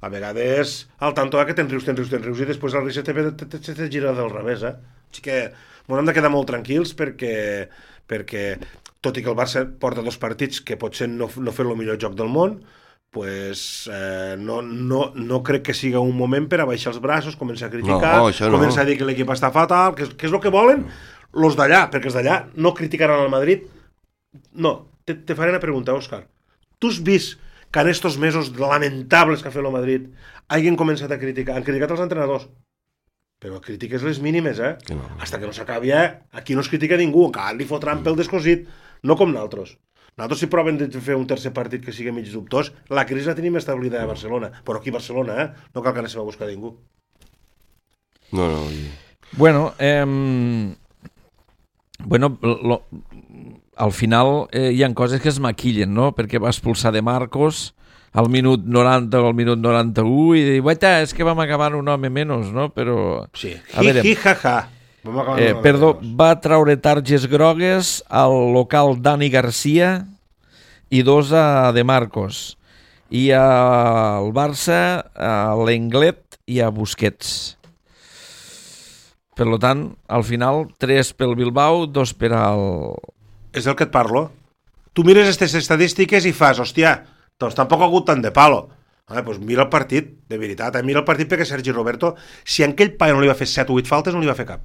a vegades al tanto que te'n rius, te'n rius, te'n rius i després el risc te, te gira del revés, eh? Així que m'ho hem de quedar molt tranquils perquè, perquè tot i que el Barça porta dos partits que potser no, no fer el millor joc del món, pues, eh, no, no, no crec que siga un moment per a baixar els braços, començar a criticar, no, no. començar a dir que l'equip està fatal, que, que és el que volen los d'allà, perquè els d'allà no criticaran el Madrid. No, te, te faré una pregunta, Òscar. Tu has vist que en estos mesos lamentables que ha fet el Madrid hagin començat a criticar, han criticat els entrenadors, però critiques les mínimes, eh? Que no. Hasta que no s'acabi, eh? Aquí no es critica ningú, que li fotran pel descosit, no com nosaltres. Nosaltres si proven de fer un tercer partit que sigui mig dubtós, la crisi la tenim establerta a Barcelona, però aquí a Barcelona, eh? No cal que anéssim a buscar ningú. No, no. Bueno, eh... Bueno, lo... al final eh, hi ha coses que es maquillen, no? Perquè va expulsar de Marcos al minut noranta o al minut noranta-u i dir, guaita, és que vam acabar un home menys, no? Però... Sí, hi, hi, ha, ha. Eh, perdó, va traure targes grogues al local Dani Garcia i dos a De Marcos. I al Barça, a l'Englet i a Busquets. Per tant, al final, tres pel Bilbao, dos per al... És del que et parlo. Tu mires aquestes estadístiques i fas, hòstia, doncs tampoc ha hagut tant de palo. Ah, doncs mira el partit, de veritat, eh? Mira el partit perquè Sergi Roberto, si en aquell paio no li va fer set o vuit faltes, no li va fer cap.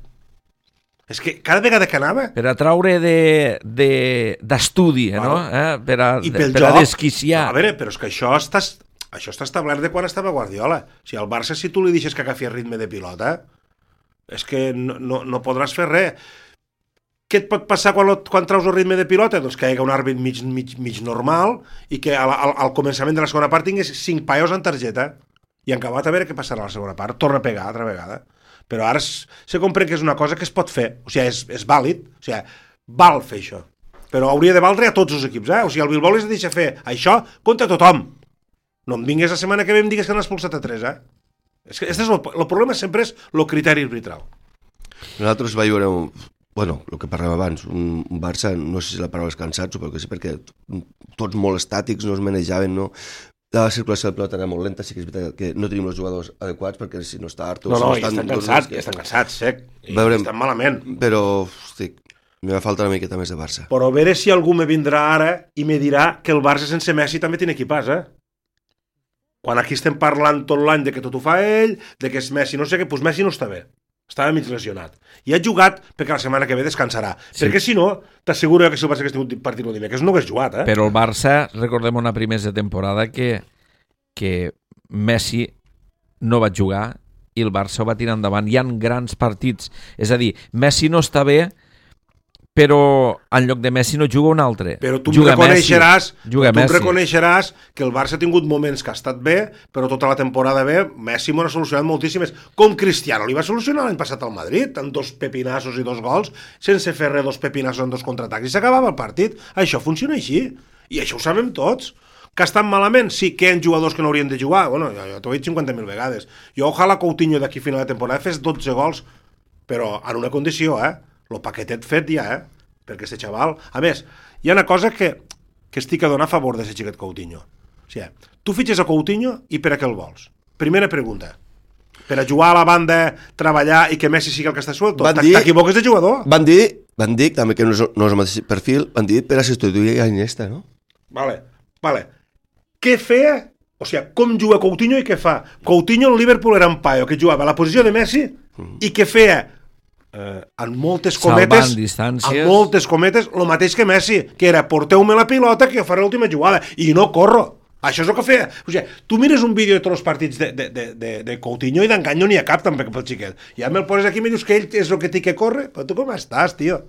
És que cada vegada que anava... Per a traure d'estudi, de, de, no? Eh? Per a, per joc, a desquiciar. No, a veure, però és que això està, això està establert de quan estava Guardiola. O sigui, al Barça, si tu li deixes que agafi el ritme de pilota, és que no, no, no podràs fer res. Què et pot passar quan, quan traus el ritme de pilota? Doncs que hi hagi un àrbit mig, mig, mig normal i que al, al, al començament de la segona part tingués cinc paios en targeta i en acabat a veure què passarà a la segona part. Torna a pegar altra vegada. Però ara se comprèn que és una cosa que es pot fer. O sigui, és, és vàlid. O sigui, val fer això. Però hauria de valdre a tots els equips, eh? O sigui, el Bilbao les deixa fer això contra tothom. No em vingues la setmana que ve i em digues que n'has expulsat a tres, eh? És que este és el, el problema sempre és el criteri arbitral. Nosaltres va veure un... Bueno, el que parlem abans, un, un Barça, no sé si la paraula és cansat, suposo que sí, perquè tots molt estàtics, no es manejaven, no... La circulació de pelota era molt lenta, sí que és veritat que no tenim els jugadors adequats, perquè si no està Artur... No, no, si no estan cansats, que... estan cansats, sec, i veurem, estan malament. Però, hosti, m'hi va faltar una miqueta més de Barça. Però a veure si algú me vindrà ara i me dirà que el Barça sense Messi també tiene equipàs, eh? Quan aquí estem parlant tot l'any de que tot ho fa ell, de que és Messi, no sé què, doncs Messi no està bé. Estava mig lesionat. I ha jugat perquè la setmana que ve descansarà. Sí. Perquè si no, t'asseguro que si el Barça hagués tingut partit el dimecres no hagués jugat, eh? Però el Barça, recordem una primera de temporada que, que Messi no va jugar i el Barça ho va tirar endavant. Hi ha grans partits. És a dir, Messi no està bé, però en lloc de Messi no juga un altre. Però tu juga em reconeixeràs, juga tu em reconeixeràs que el Barça ha tingut moments que ha estat bé, però tota la temporada bé, Messi m'ho ha solucionat moltíssimes. Com Cristiano li va solucionar l'any passat al Madrid, amb dos pepinassos i dos gols, sense fer res, dos pepinassos en dos contraatacs, i s'acabava el partit. Això funciona així, i això ho sabem tots. Que estan malament? Sí, que hi ha jugadors que no haurien de jugar. Bueno, jo, jo t'ho he dit cinquanta mil vegades. Jo, ojalà Coutinho d'aquí a final de temporada fes dotze gols, però en una condició, eh? El paquetet fet ja, eh? Perquè este xaval... A més, hi ha una cosa que, que estic a donar a favor d'aquest xiquet Coutinho. O sigui, tu fitxes a Coutinho i per a què el vols? Primera pregunta. Per a jugar a la banda, treballar i que Messi sigui el que està suelto? T'equivoques de jugador? Van dir, van dir, també que no és, no és el mateix perfil, van dir per a substituir a Iniesta, no? Vale, vale. Què feia? O sigui, com juga Coutinho i què fa? Coutinho al Liverpool era un paio que jugava a la posició de Messi mm. i què feia? Eh, en moltes cometes en moltes cometes el mateix que Messi, que era porteu-me la pilota que jo faré l'última jugada i no corro. Això és el que feia. O sigui, tu mires un vídeo de tots els partits de, de, de, de, de Coutinho i d'engany no n'hi ha cap també pel xiquet. Ja me'l poses aquí i me dius que ell és el que té que córrer. Però tu com estàs, tio?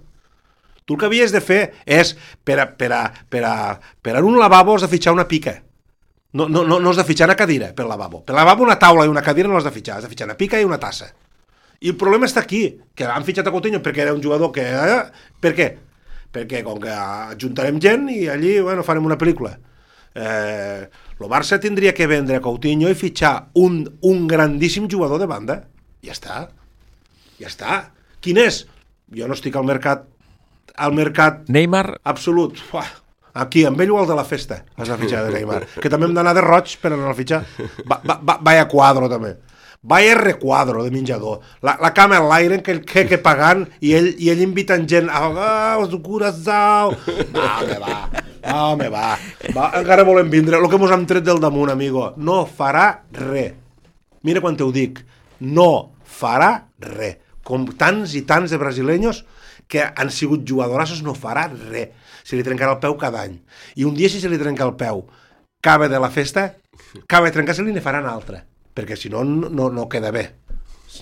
Tu el que havies de fer és per a, per a, per a, per a un lavabo has de fitxar una pica. No, no, no, no has de fitxar una cadira per lavabo. Per lavabo una taula i una cadira no has de fitxar. Has de fitxar una pica i una tassa. I el problema està aquí, que han fitxat a Coutinho perquè era un jugador que... Eh, per què? Perquè com que ajuntarem gent i allí, bueno, farem una pel·lícula. Eh, el Barça tindria que vendre a Coutinho i fitxar un, un grandíssim jugador de banda. Ja està. Ja està. Quin és? Jo no estic al mercat, al mercat... Neymar? Absolut. Uah. Aquí, amb ell o el de la festa, has de fitxar de Neymar. Que també hem d'anar de roig per anar a fitxar. Va, va, va, vaya quadro, també. Vaya requadro de menjador. La, la cama en l'aire, que el que, que pagant, i ell, i ell invitant gent. Ah, oh, curazao. Va, home, va. Ah, home, va. va. Encara volem vindre. El que mos hem tret del damunt, amigo. No farà res. Mira quan te ho dic. No farà res. Com tants i tants de brasileños que han sigut jugadorassos, no farà res. Se li trencarà el peu cada any. I un dia, si se li trenca el peu, acaba de la festa, acaba de trencar-se-li i ne farà una altra. Perquè si no, no, no queda bé.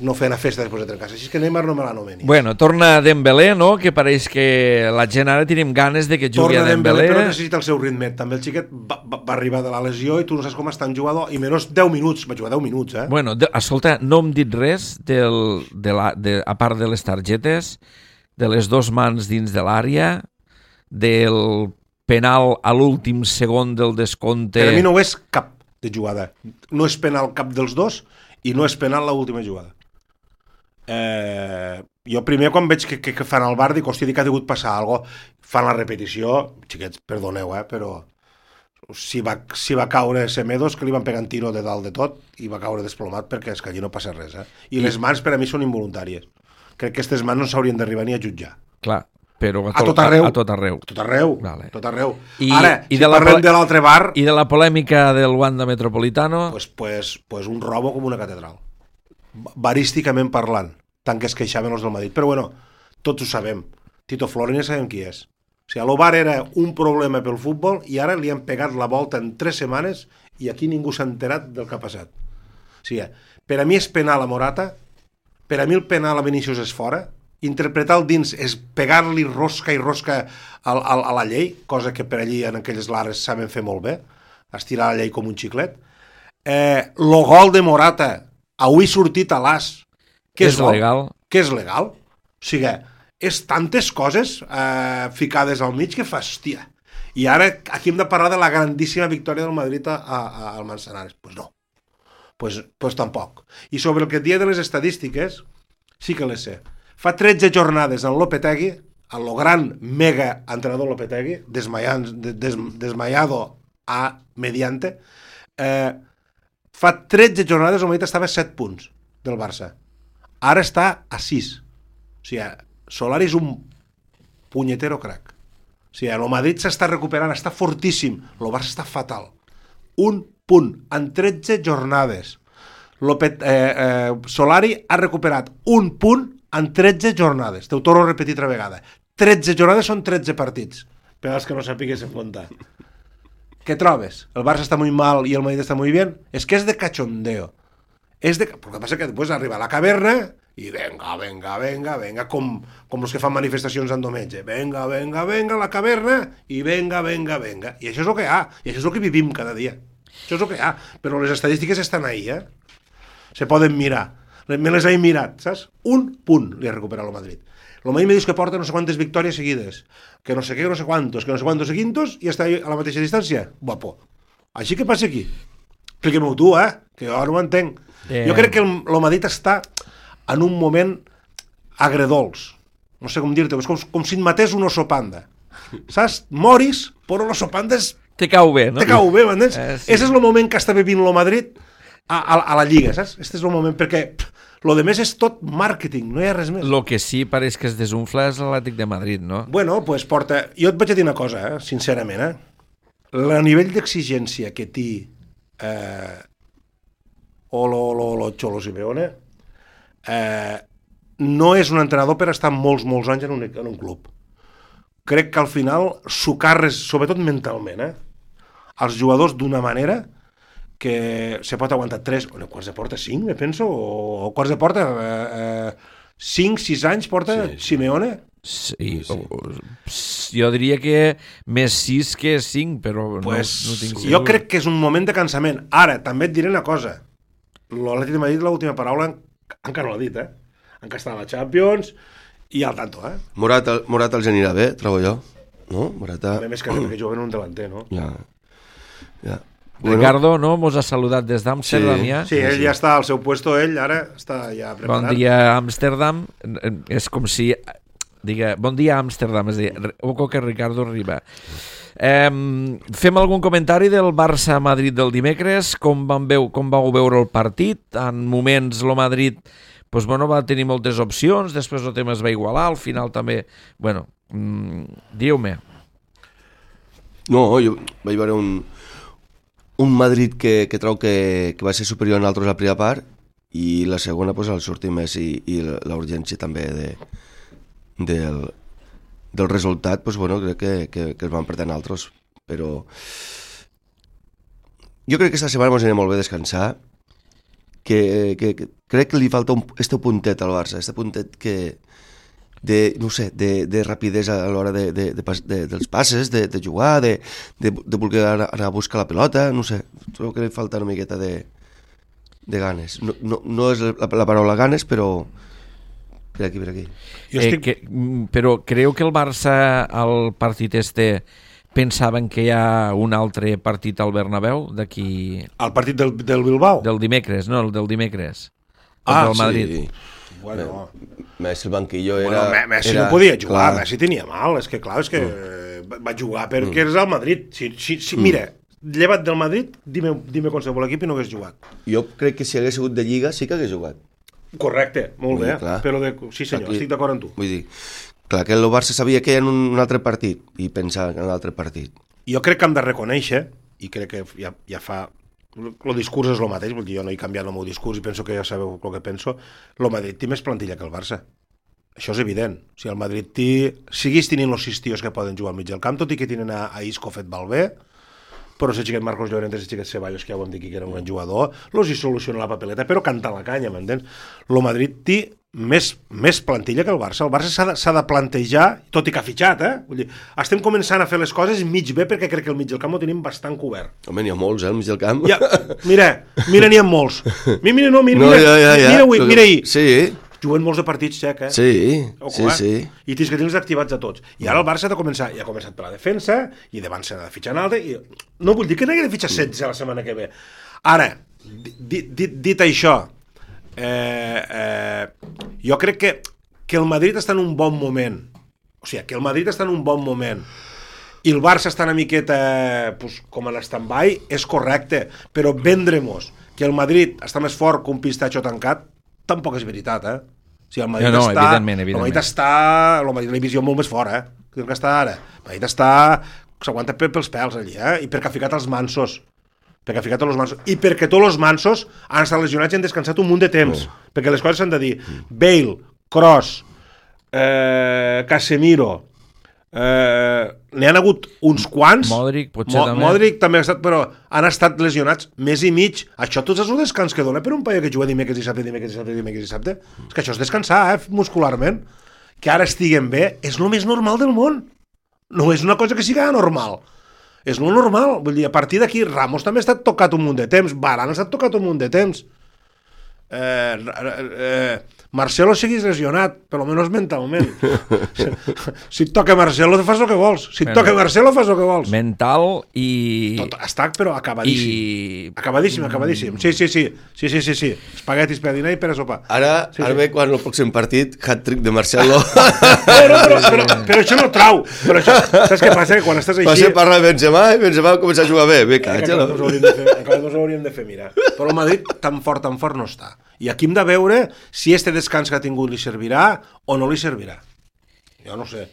No fer una festa després de trencar-se. Així que Neymar no me l'anomeni. Bueno, torna Dembélé, no? Que pareix que la gent ara tenim ganes de que jugui torna a Dembélé. Dembélé, però necessita el seu ritme. També el xiquet va, va, va arribar de la lesió i tu no saps com està en jugador. I menys deu minuts. Va jugar deu minuts, eh? Bueno, de, escolta, no hem dit res del, de la, de, a part de les targetes, de les dos mans dins de l'àrea, del penal a l'últim segon del descompte... Per a mi no ho és cap de jugada. No és penal cap dels dos i no és penal l'última jugada. Eh, jo primer quan veig que, que, que fan el bar dic, hòstia, dic que ha degut passar alguna cosa. Fan la repetició, xiquets, perdoneu, eh, però si va, si va caure Semedos, que li van pegar un tiro de dalt de tot i va caure desplomat perquè és que allí no passa res. Eh? I, I les mans per a mi són involuntàries. Crec que aquestes mans no s'haurien d'arribar ni a jutjar. Clar, però a, a tot arreu. A, a tot arreu. A tot arreu. Vale. Tot arreu. I, Ara, i si de la parlem de l'altre bar... I de la polèmica del Wanda Metropolitano... Pues, pues, pues un robo com una catedral. Barísticament parlant, tant que es queixaven els del Madrid. Però bueno, tots ho sabem. Tito Florin ja sabem qui és. O sigui, el bar era un problema pel futbol i ara li han pegat la volta en tres setmanes i aquí ningú s'ha enterat del que ha passat. O sigui, per a mi és penal a Morata, per a mi el penal a Vinícius és fora, interpretar el dins és pegar-li rosca i rosca al, al, a la llei, cosa que per allí en aquelles lares saben fer molt bé, estirar la llei com un xiclet. Eh, lo gol de Morata, avui sortit a l'as, que és, és legal. Que és legal. O sigui, és tantes coses eh, ficades al mig que fa, hòstia. I ara aquí hem de parlar de la grandíssima victòria del Madrid a, a, al Manzanares. Doncs pues no. Pues, pues tampoc. I sobre el que et dia de les estadístiques, sí que les sé. Fa tretze jornades en Lopetegui, el lo gran mega entrenador Lopetegui, desmayant, des, desmayado a mediante, eh, fa tretze jornades el Madrid estava a set punts del Barça. Ara està a sis. O sigui, Solari és un punyetero crac. O sigui, el Madrid s'està recuperant, està fortíssim, el Barça està fatal. Un punt en tretze jornades. Lopet, eh, eh, Solari ha recuperat un punt en tretze jornades. T'ho torno a repetir altra vegada. tretze jornades són tretze partits. Per als que no sapiguessin comptar. Què trobes? El Barça està muy mal i el Madrid està muy bien? És que és de cachondeo. És de... Però el que passa que després arriba a la caverna i venga, venga, venga, venga, com, com els que fan manifestacions en diumenge. Venga, venga, venga, a la caverna i venga, venga, venga. I això és el que hi ha. I això és el que vivim cada dia. Això és el que hi ha. Però les estadístiques estan ahí, eh? Se poden mirar. Me les he mirat, saps? Un punt li ha recuperat el Madrid. El Madrid me dius que porta no sé quantes victòries seguides, que no sé què, que no sé quantos, que no sé quantos seguintos, i està a la mateixa distància. Guapo. Així que passa aquí. Expliquem-ho tu, eh? Que jo no ho entenc. Yeah. Jo crec que el, el Madrid està en un moment agredolç. No sé com dir-te, és com, com si et matés un oso panda. Saps? Moris, però l'oso panda és... Te cau bé, no? Te cau bé, m'entens? Eh, sí. Ese és el moment que està vivint el Madrid a, a, a la Lliga, saps? Este és el moment, perquè pff, lo de més és tot màrqueting, no hi ha res més. Lo que sí pareix que es desunfla és l'Atlètic de Madrid, no? Bueno, pues porta... Jo et vaig a dir una cosa, eh? Sincerament, eh? El nivell d'exigència que té eh, o lo, lo, lo Cholo Simeone eh, no és un entrenador per estar molts, molts anys en un, en un club. Crec que al final s'ho carres, sobretot mentalment, eh? Els jugadors d'una manera que se pot aguantar tres, o quarts de porta cinc, me penso, o, o quarts de porta eh, eh, cinc, sis anys porta sí, sí. Simeone. Sí, sí. O, jo diria que més sis que cinc, però pues, no, no tinc segur. Jo crec que és un moment de cansament. Ara, també et diré una cosa. L'Atlètic de Madrid, l'última paraula, encara no l'ha dit, eh? Encara està a la Champions i al tanto, eh? Morata, Morata els anirà bé, trobo jo. No? Morata... A més que, que juguen un delanter, no? Ja, ja. Ricardo, no? Mos ha saludat des d'Amsterdam, Sí. ja. Sí, ell ja està al seu puesto, ell ara està ja preparat. Bon dia, Amsterdam. És com si... Diga, bon dia, Amsterdam. És a dir, oco que Ricardo arriba. Eh, fem algun comentari del Barça-Madrid del dimecres? Com, van veu, com vau veure el partit? En moments el Madrid pues, bueno, va tenir moltes opcions, després el tema es va igualar, al final també... Bueno, mmm, diu-me. No, jo vaig veure un, un Madrid que, que trau que, que va ser superior a nosaltres a la primera part i la segona pues, el sortir més i, i la urgència també de, del, del resultat, pues, bueno, crec que, que, que es van perdre nosaltres, però jo crec que aquesta setmana ens anirà molt bé a descansar, que, que, que crec que li falta un, este puntet al Barça, este puntet que de, no sé, de, de rapidesa a l'hora de, de, de, de, dels passes, de, de jugar, de, de, de voler anar, anar a buscar la pelota, no sé, trobo que li falta una miqueta de, de ganes. No, no, no és la, la paraula ganes, però per aquí, per aquí. Jo estic... eh, que, però creu que el Barça, al partit este, pensaven que hi ha un altre partit al Bernabéu d'aquí... El partit del, del Bilbao? Del dimecres, no, el del dimecres. Ah, del Madrid. Sí. Bueno, Messi el banquillo bueno era... Messi era, no podia jugar, clar. Messi tenia mal, és que clar, és que mm. va jugar perquè mm. és el Madrid. Si, si, si, Mm. mira, llevat del Madrid, dime, dime qualsevol equip i no hagués jugat. Jo crec que si hagués sigut de Lliga sí que hagués jugat. Correcte, molt Vull bé, dir, clar. però de... sí senyor, Aquí- estic d'acord amb tu. Vull dir, clar que el Barça sabia que hi ha un, un altre partit i pensava en l'altre partit. Jo crec que hem de reconèixer, i crec que ja, ja fa... El discurs és el mateix, vull dir, jo no he canviat el meu discurs i penso que ja sabeu el que penso. El Madrid té més plantilla que el Barça. Això és evident. O sigui, el Madrid té... Siguis tenint els sis tios que poden jugar al mig del camp, tot i que tenen a, a Isco fet Valvé, però si xiquet Marcos Llorente, si xiquet Ceballos, que ja ho hem dit que era un gran jugador, los hi soluciona la papeleta, però canta la canya, m'entens? El Madrid té més, més plantilla que el Barça. El Barça s'ha de, s'ha de plantejar, tot i que ha fitxat, eh? Vull dir, estem començant a fer les coses mig bé perquè crec que el mig del camp ho tenim bastant cobert. Home, n'hi ha molts, eh, al mig del camp. Ja, mira, mira, n'hi ha molts. Mira, mira, no, mira, No, mira, ja, ja, ja. mira, avui, mira ahir. Sí, Juguen molts de partits, Xec, eh? sí, Ojo, sí, eh? sí. I tens que tenir-los activats a tots. I ara el Barça ha de començar, ja ha començat per la defensa, i davant s'ha de fitxar en alta, i no vull dir que n'hagi de fitxar setze la setmana que ve. Ara, dit, dit, dit això, eh, eh, jo crec que, que el Madrid està en un bon moment. O sigui, que el Madrid està en un bon moment i el Barça està una miqueta pues, com en stand-by, és correcte, però vendre-mos que el Madrid està més fort que un pistatxo tancat, tampoc és veritat, eh? O sigui, el Madrid No, no, està... evidentment, evidentment. El Madrid està... El Madrid la visió molt més fort, eh? Que el que està ara. El Madrid està... S'aguanta pels pèls allí, eh? I perquè ha ficat els mansos. Perquè ha ficat els mansos. I perquè tots els mansos han estat lesionats i han descansat un munt de temps. Oh. Perquè les coses s'han de dir. Bale, Kroos, eh, Casemiro... Eh, n'hi han hagut uns quants. Modric, potser Mo també. Modric també ha estat, però han estat lesionats mes i mig. Això tots és un descans que dona per un paio que juga dimecres, dissabte, dimecres, dissabte, dimecres, dissabte. És que això és descansar, eh, muscularment. Que ara estiguen bé és el més normal del món. No és una cosa que sigui normal. És lo normal. Vull dir, a partir d'aquí, Ramos també ha estat tocat un munt de temps, Varane ha estat tocat un munt de temps. Eh, eh, Marcelo seguís lesionat, per almenys mentalment. Si et toca Marcelo, fas el que vols. Si et toca Marcelo, fas el que vols. Mental i... Tot està, però acabadíssim. I... Acabadíssim, acabadíssim. Sí, sí, sí. Sí, sí, sí, sí. Espaguetis per dinar i per a sopar. Ara, Sí, ara sí. ve quan el pròxim partit, hat-trick de Marcelo. No, no, però, però, però això no trau. Però això, saps què passa? Que quan estàs Va així... ser parlar de Benzema i Benzema va començar a jugar bé. Bé, Encara catxa, no us no? hauríem de fer, encara no us hauríem de fer mirar. Però el Madrid tan fort, tan fort no està. I aquí hem de veure si este descans que ha tingut li servirà o no li servirà. Jo no sé.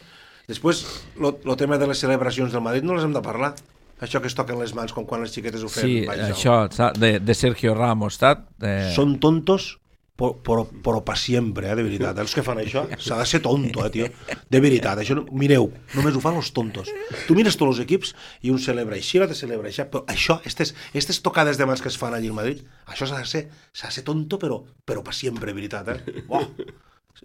Després, el tema de les celebracions del Madrid no les hem de parlar. Això que es toquen les mans com quan les xiquetes ho fem. Sí, vaja. això, saps? de, de Sergio Ramos, saps? De... Són tontos però, però, però per sempre, eh, de veritat. Els que fan això, s'ha de ser tonto, eh, tio. De veritat, això, no, mireu, només ho fan els tontos. Tu mires tots els equips i un celebra així, l'altre celebra així, però això, aquestes, aquestes tocades de mans que es fan allí al Madrid, això s'ha de ser, s'ha de ser tonto, però, però per sempre, de veritat, eh. Oh.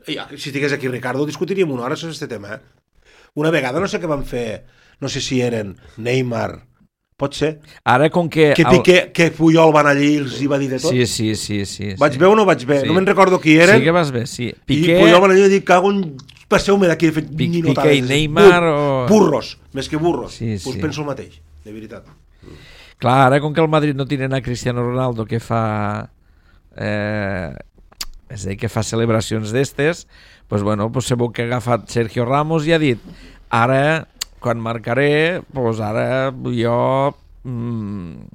Si estigués aquí Ricardo, discutiríem una hora sobre aquest tema, eh. Una vegada, no sé què van fer, no sé si eren Neymar, pot ser, Ara, com que... que, Piqué, que Puyol van allí i els hi va dir de tot. Sí, sí, sí. sí Vaig sí. bé o no vaig bé? Sí. No me'n recordo qui eren. Sí que vas bé, sí. Piqué... Piqué, I Puyol van allà i dir, cago en... Passeu-me d'aquí, he fet Pic- ninotades. Piqué i Neymar Bur o... Burros, més que burros. Sí, Pues sí. penso el mateix, de veritat. Clar, ara com que el Madrid no tenen a Cristiano Ronaldo que fa... Eh, és a dir, que fa celebracions d'estes, doncs bueno, pues segur que ha agafat Sergio Ramos i ha dit ara, quan marcaré, doncs ara jo... Mm,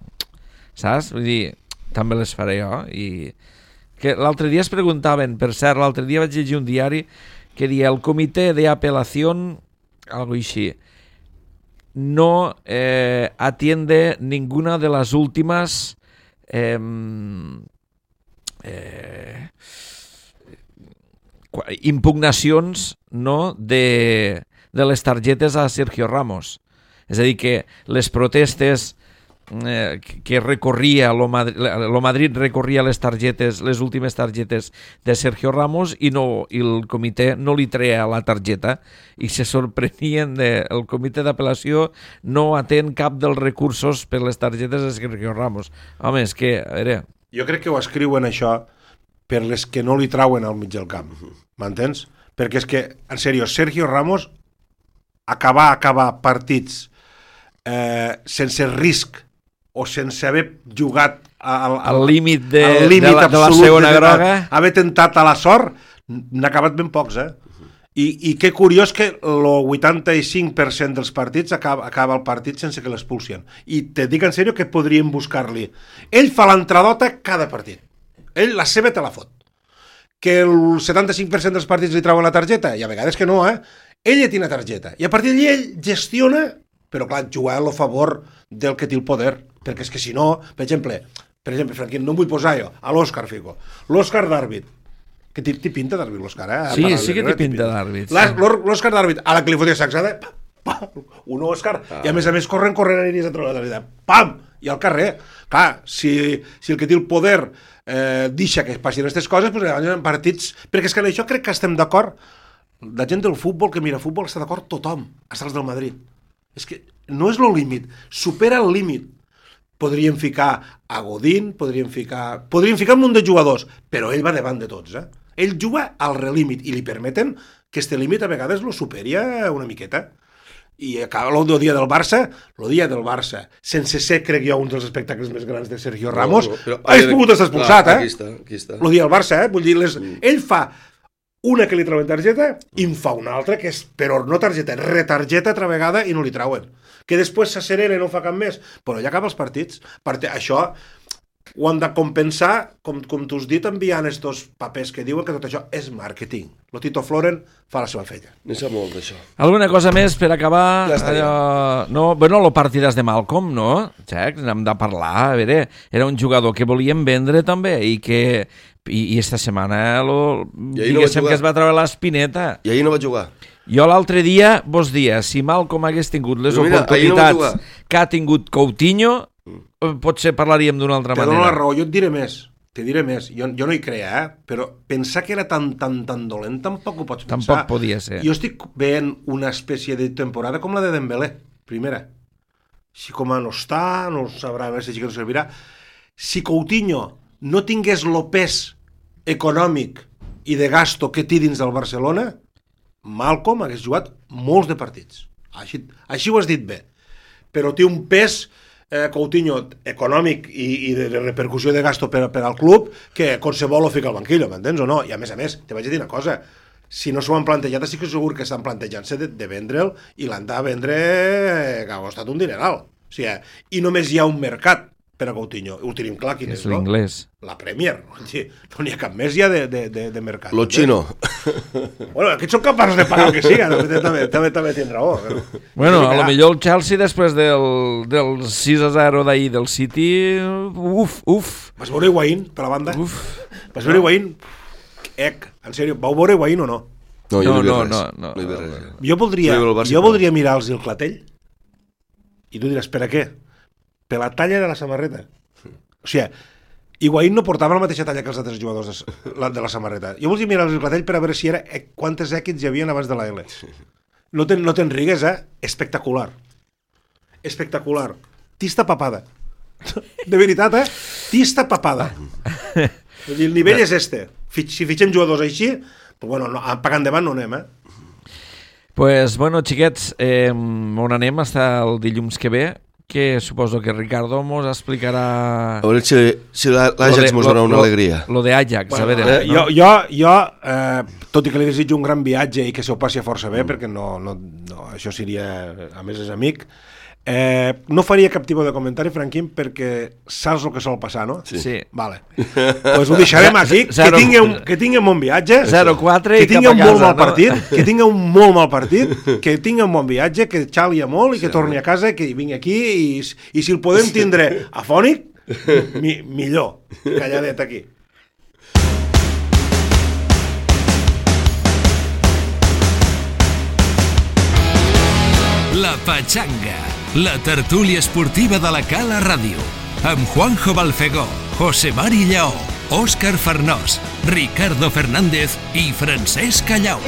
saps? Vull dir, també les faré jo. I que l'altre dia es preguntaven, per cert, l'altre dia vaig llegir un diari que dia el comitè d'apel·lació, algo així, no eh, atiende ninguna de las últimas eh, eh, impugnacions, no, de, de les targetes a Sergio Ramos. És a dir, que les protestes eh, que recorria lo Madrid, lo Madrid recorria les targetes, les últimes targetes de Sergio Ramos i, no, i el comitè no li treia la targeta i se sorprenien de, el comitè d'apel·lació no atén cap dels recursos per les targetes de Sergio Ramos. Home, és que... A veure... Jo crec que ho escriuen això per les que no li trauen al mig del camp, m'entens? Perquè és que, en sèrio, Sergio Ramos acabar, acabar partits eh, sense risc o sense haver jugat al, al límit de, al límit de, la, de la segona de, groga, haver tentat a la sort, n'ha acabat ben pocs, eh? I, i que curiós que el vuitanta-cinc per cent dels partits acaba, acaba el partit sense que l'expulsien. I te dic en sèrio que podríem buscar-li. Ell fa l'entradota cada partit. Ell la seva te la fot. Que el setanta-cinc per cent dels partits li trauen la targeta? I a vegades que no, eh? Ell ja té una targeta. I a partir d'allí ell gestiona, però clar, jugar a favor del que té el poder. Perquè és que si no, per exemple, per exemple, Franquín, no em vull posar jo, a l'Òscar fico. L'Òscar d'àrbit. Que té pinta d'àrbit l'Òscar, eh? Sí, sí que té pinta d'àrbit. L'Òscar d'àrbit, a la que li fotia sacsada, un Òscar, i a més a més corren, corren a l'inici de trobar la targeta. Pam! I al carrer. Clar, si, si el que té el poder eh, deixa que passin aquestes coses, doncs llavors en partits... Perquè és que en això crec que estem d'acord. La gent del futbol que mira futbol està d'acord tothom, hasta els del Madrid. És que no és el límit, supera el límit. Podríem ficar a Godín, podríem ficar... Podríem ficar un munt de jugadors, però ell va davant de tots, eh? Ell juga al relímit i li permeten que este límit a vegades lo superi una miqueta. I acaba el dia del Barça, el dia del Barça, sense ser, crec jo, un dels espectacles més grans de Sergio Ramos, no, no, però, ha pogut estar expulsat, eh? Aquí està, aquí està. El dia del Barça, eh? Vull dir, les... mm. ell fa una que li trauen targeta i en fa una altra que és, però no targeta, retargeta altra vegada i no li trauen. Que després s'acerena i no fa cap més, però ja acaba els partits. Perquè això ho han de compensar, com, com tu has dit, enviant estos papers que diuen que tot això és màrqueting. Lo Tito Floren fa la seva feina. Ne sap molt d'això. Alguna cosa més per acabar? Ja estaria. Allò... No, bueno, lo partides de Malcolm, no? Jack, n'hem de parlar. A veure, era un jugador que volíem vendre també i que... I, i esta setmana lo... diguéssim no que es va treure l'espineta. I ahir no va jugar. Jo l'altre dia vos dia, si Malcolm hagués tingut les mira, oportunitats no que ha tingut Coutinho, mm. potser parlaríem d'una altra te manera. Te dono la raó, jo et diré més. Te diré més. Jo, jo no hi creia, eh? Però pensar que era tan, tan, tan dolent tampoc ho pots pensar. Tampoc podia ser. Jo estic veient una espècie de temporada com la de Dembélé, primera. Si com a no està, no sabrà, a veure si no servirà. Si Coutinho no tingués el pes econòmic i de gasto que té dins del Barcelona, Malcolm hagués jugat molts de partits. Així, així ho has dit bé. Però té un pes, eh, Coutinho, econòmic i, i de repercussió de gasto per, per al club que qualsevol ho fica al banquillo, m'entens o no? I a més a més, te vaig a dir una cosa, si no s'ho han plantejat, estic segur que estan plantejant-se de, de vendre'l i l'han de vendre eh, que ha costat un dineral. O sigui, i només hi ha un mercat per a Coutinho. Ho tenim clar quin és, és l'inglès. No? La Premier. No n'hi ha cap més ja de, de, de, de mercat. Lo xino. Bueno, aquests són capaços de pagar el que siga. També, també, també, també tenen raó. Però... Bueno, a lo millor el Chelsea després del, del sis a zero d'ahir del City, uf, uf. Vas veure Higuaín, per la banda? Uf. Vas veure Higuaín? Ec, en sèrio, vau veure Higuaín o no? No, jo no, no, no, no, no, no, no. Jo voldria, jo voldria mirar-los el clatell i tu diràs, per a què? Per la talla de la samarreta. O sigui, Higuaín no portava la mateixa talla que els altres jugadors de la, de la samarreta. Jo volia mirar el clatell per a veure si era quantes èquits hi havia abans de la L. No te'n no ten rigues, eh? Espectacular. Espectacular. Tista papada. De veritat, eh? Tista papada. El nivell és este. Si fitxem jugadors així, pues bueno, no, pagant endavant no anem, eh? Pues, bueno, xiquets, eh, on anem hasta el dilluns que ve, que suposo que Ricardo mos explicarà... A veure si, si l'Ajax mos dona una alegria. Lo de Ajax, bueno, a veure... Eh, jo, jo, jo eh, tot i que li desitjo un gran viatge i que se ho passi força bé, mm. perquè no, no, no, això seria... A més, és amic. Eh, no faria cap tipus de comentari, Franquín, perquè saps el que sol passar, no? Sí. sí. Vale. Pues ho deixarem aquí, que tingueu, que tingueu un bon viatge, zero quatre que tingueu un casa, molt mal no? partit, que tingueu un molt mal partit, que tingueu un bon viatge, que xalia molt i que sí, torni a casa, que vingui aquí i, i si el podem tindre afònic, mi, millor, calladet aquí. La Pachanga, la tertúlia esportiva de la Cala Ràdio, amb Juanjo Balfegó, José Mari Lleó, Òscar Farnós, Ricardo Fernández i Francesc Callau.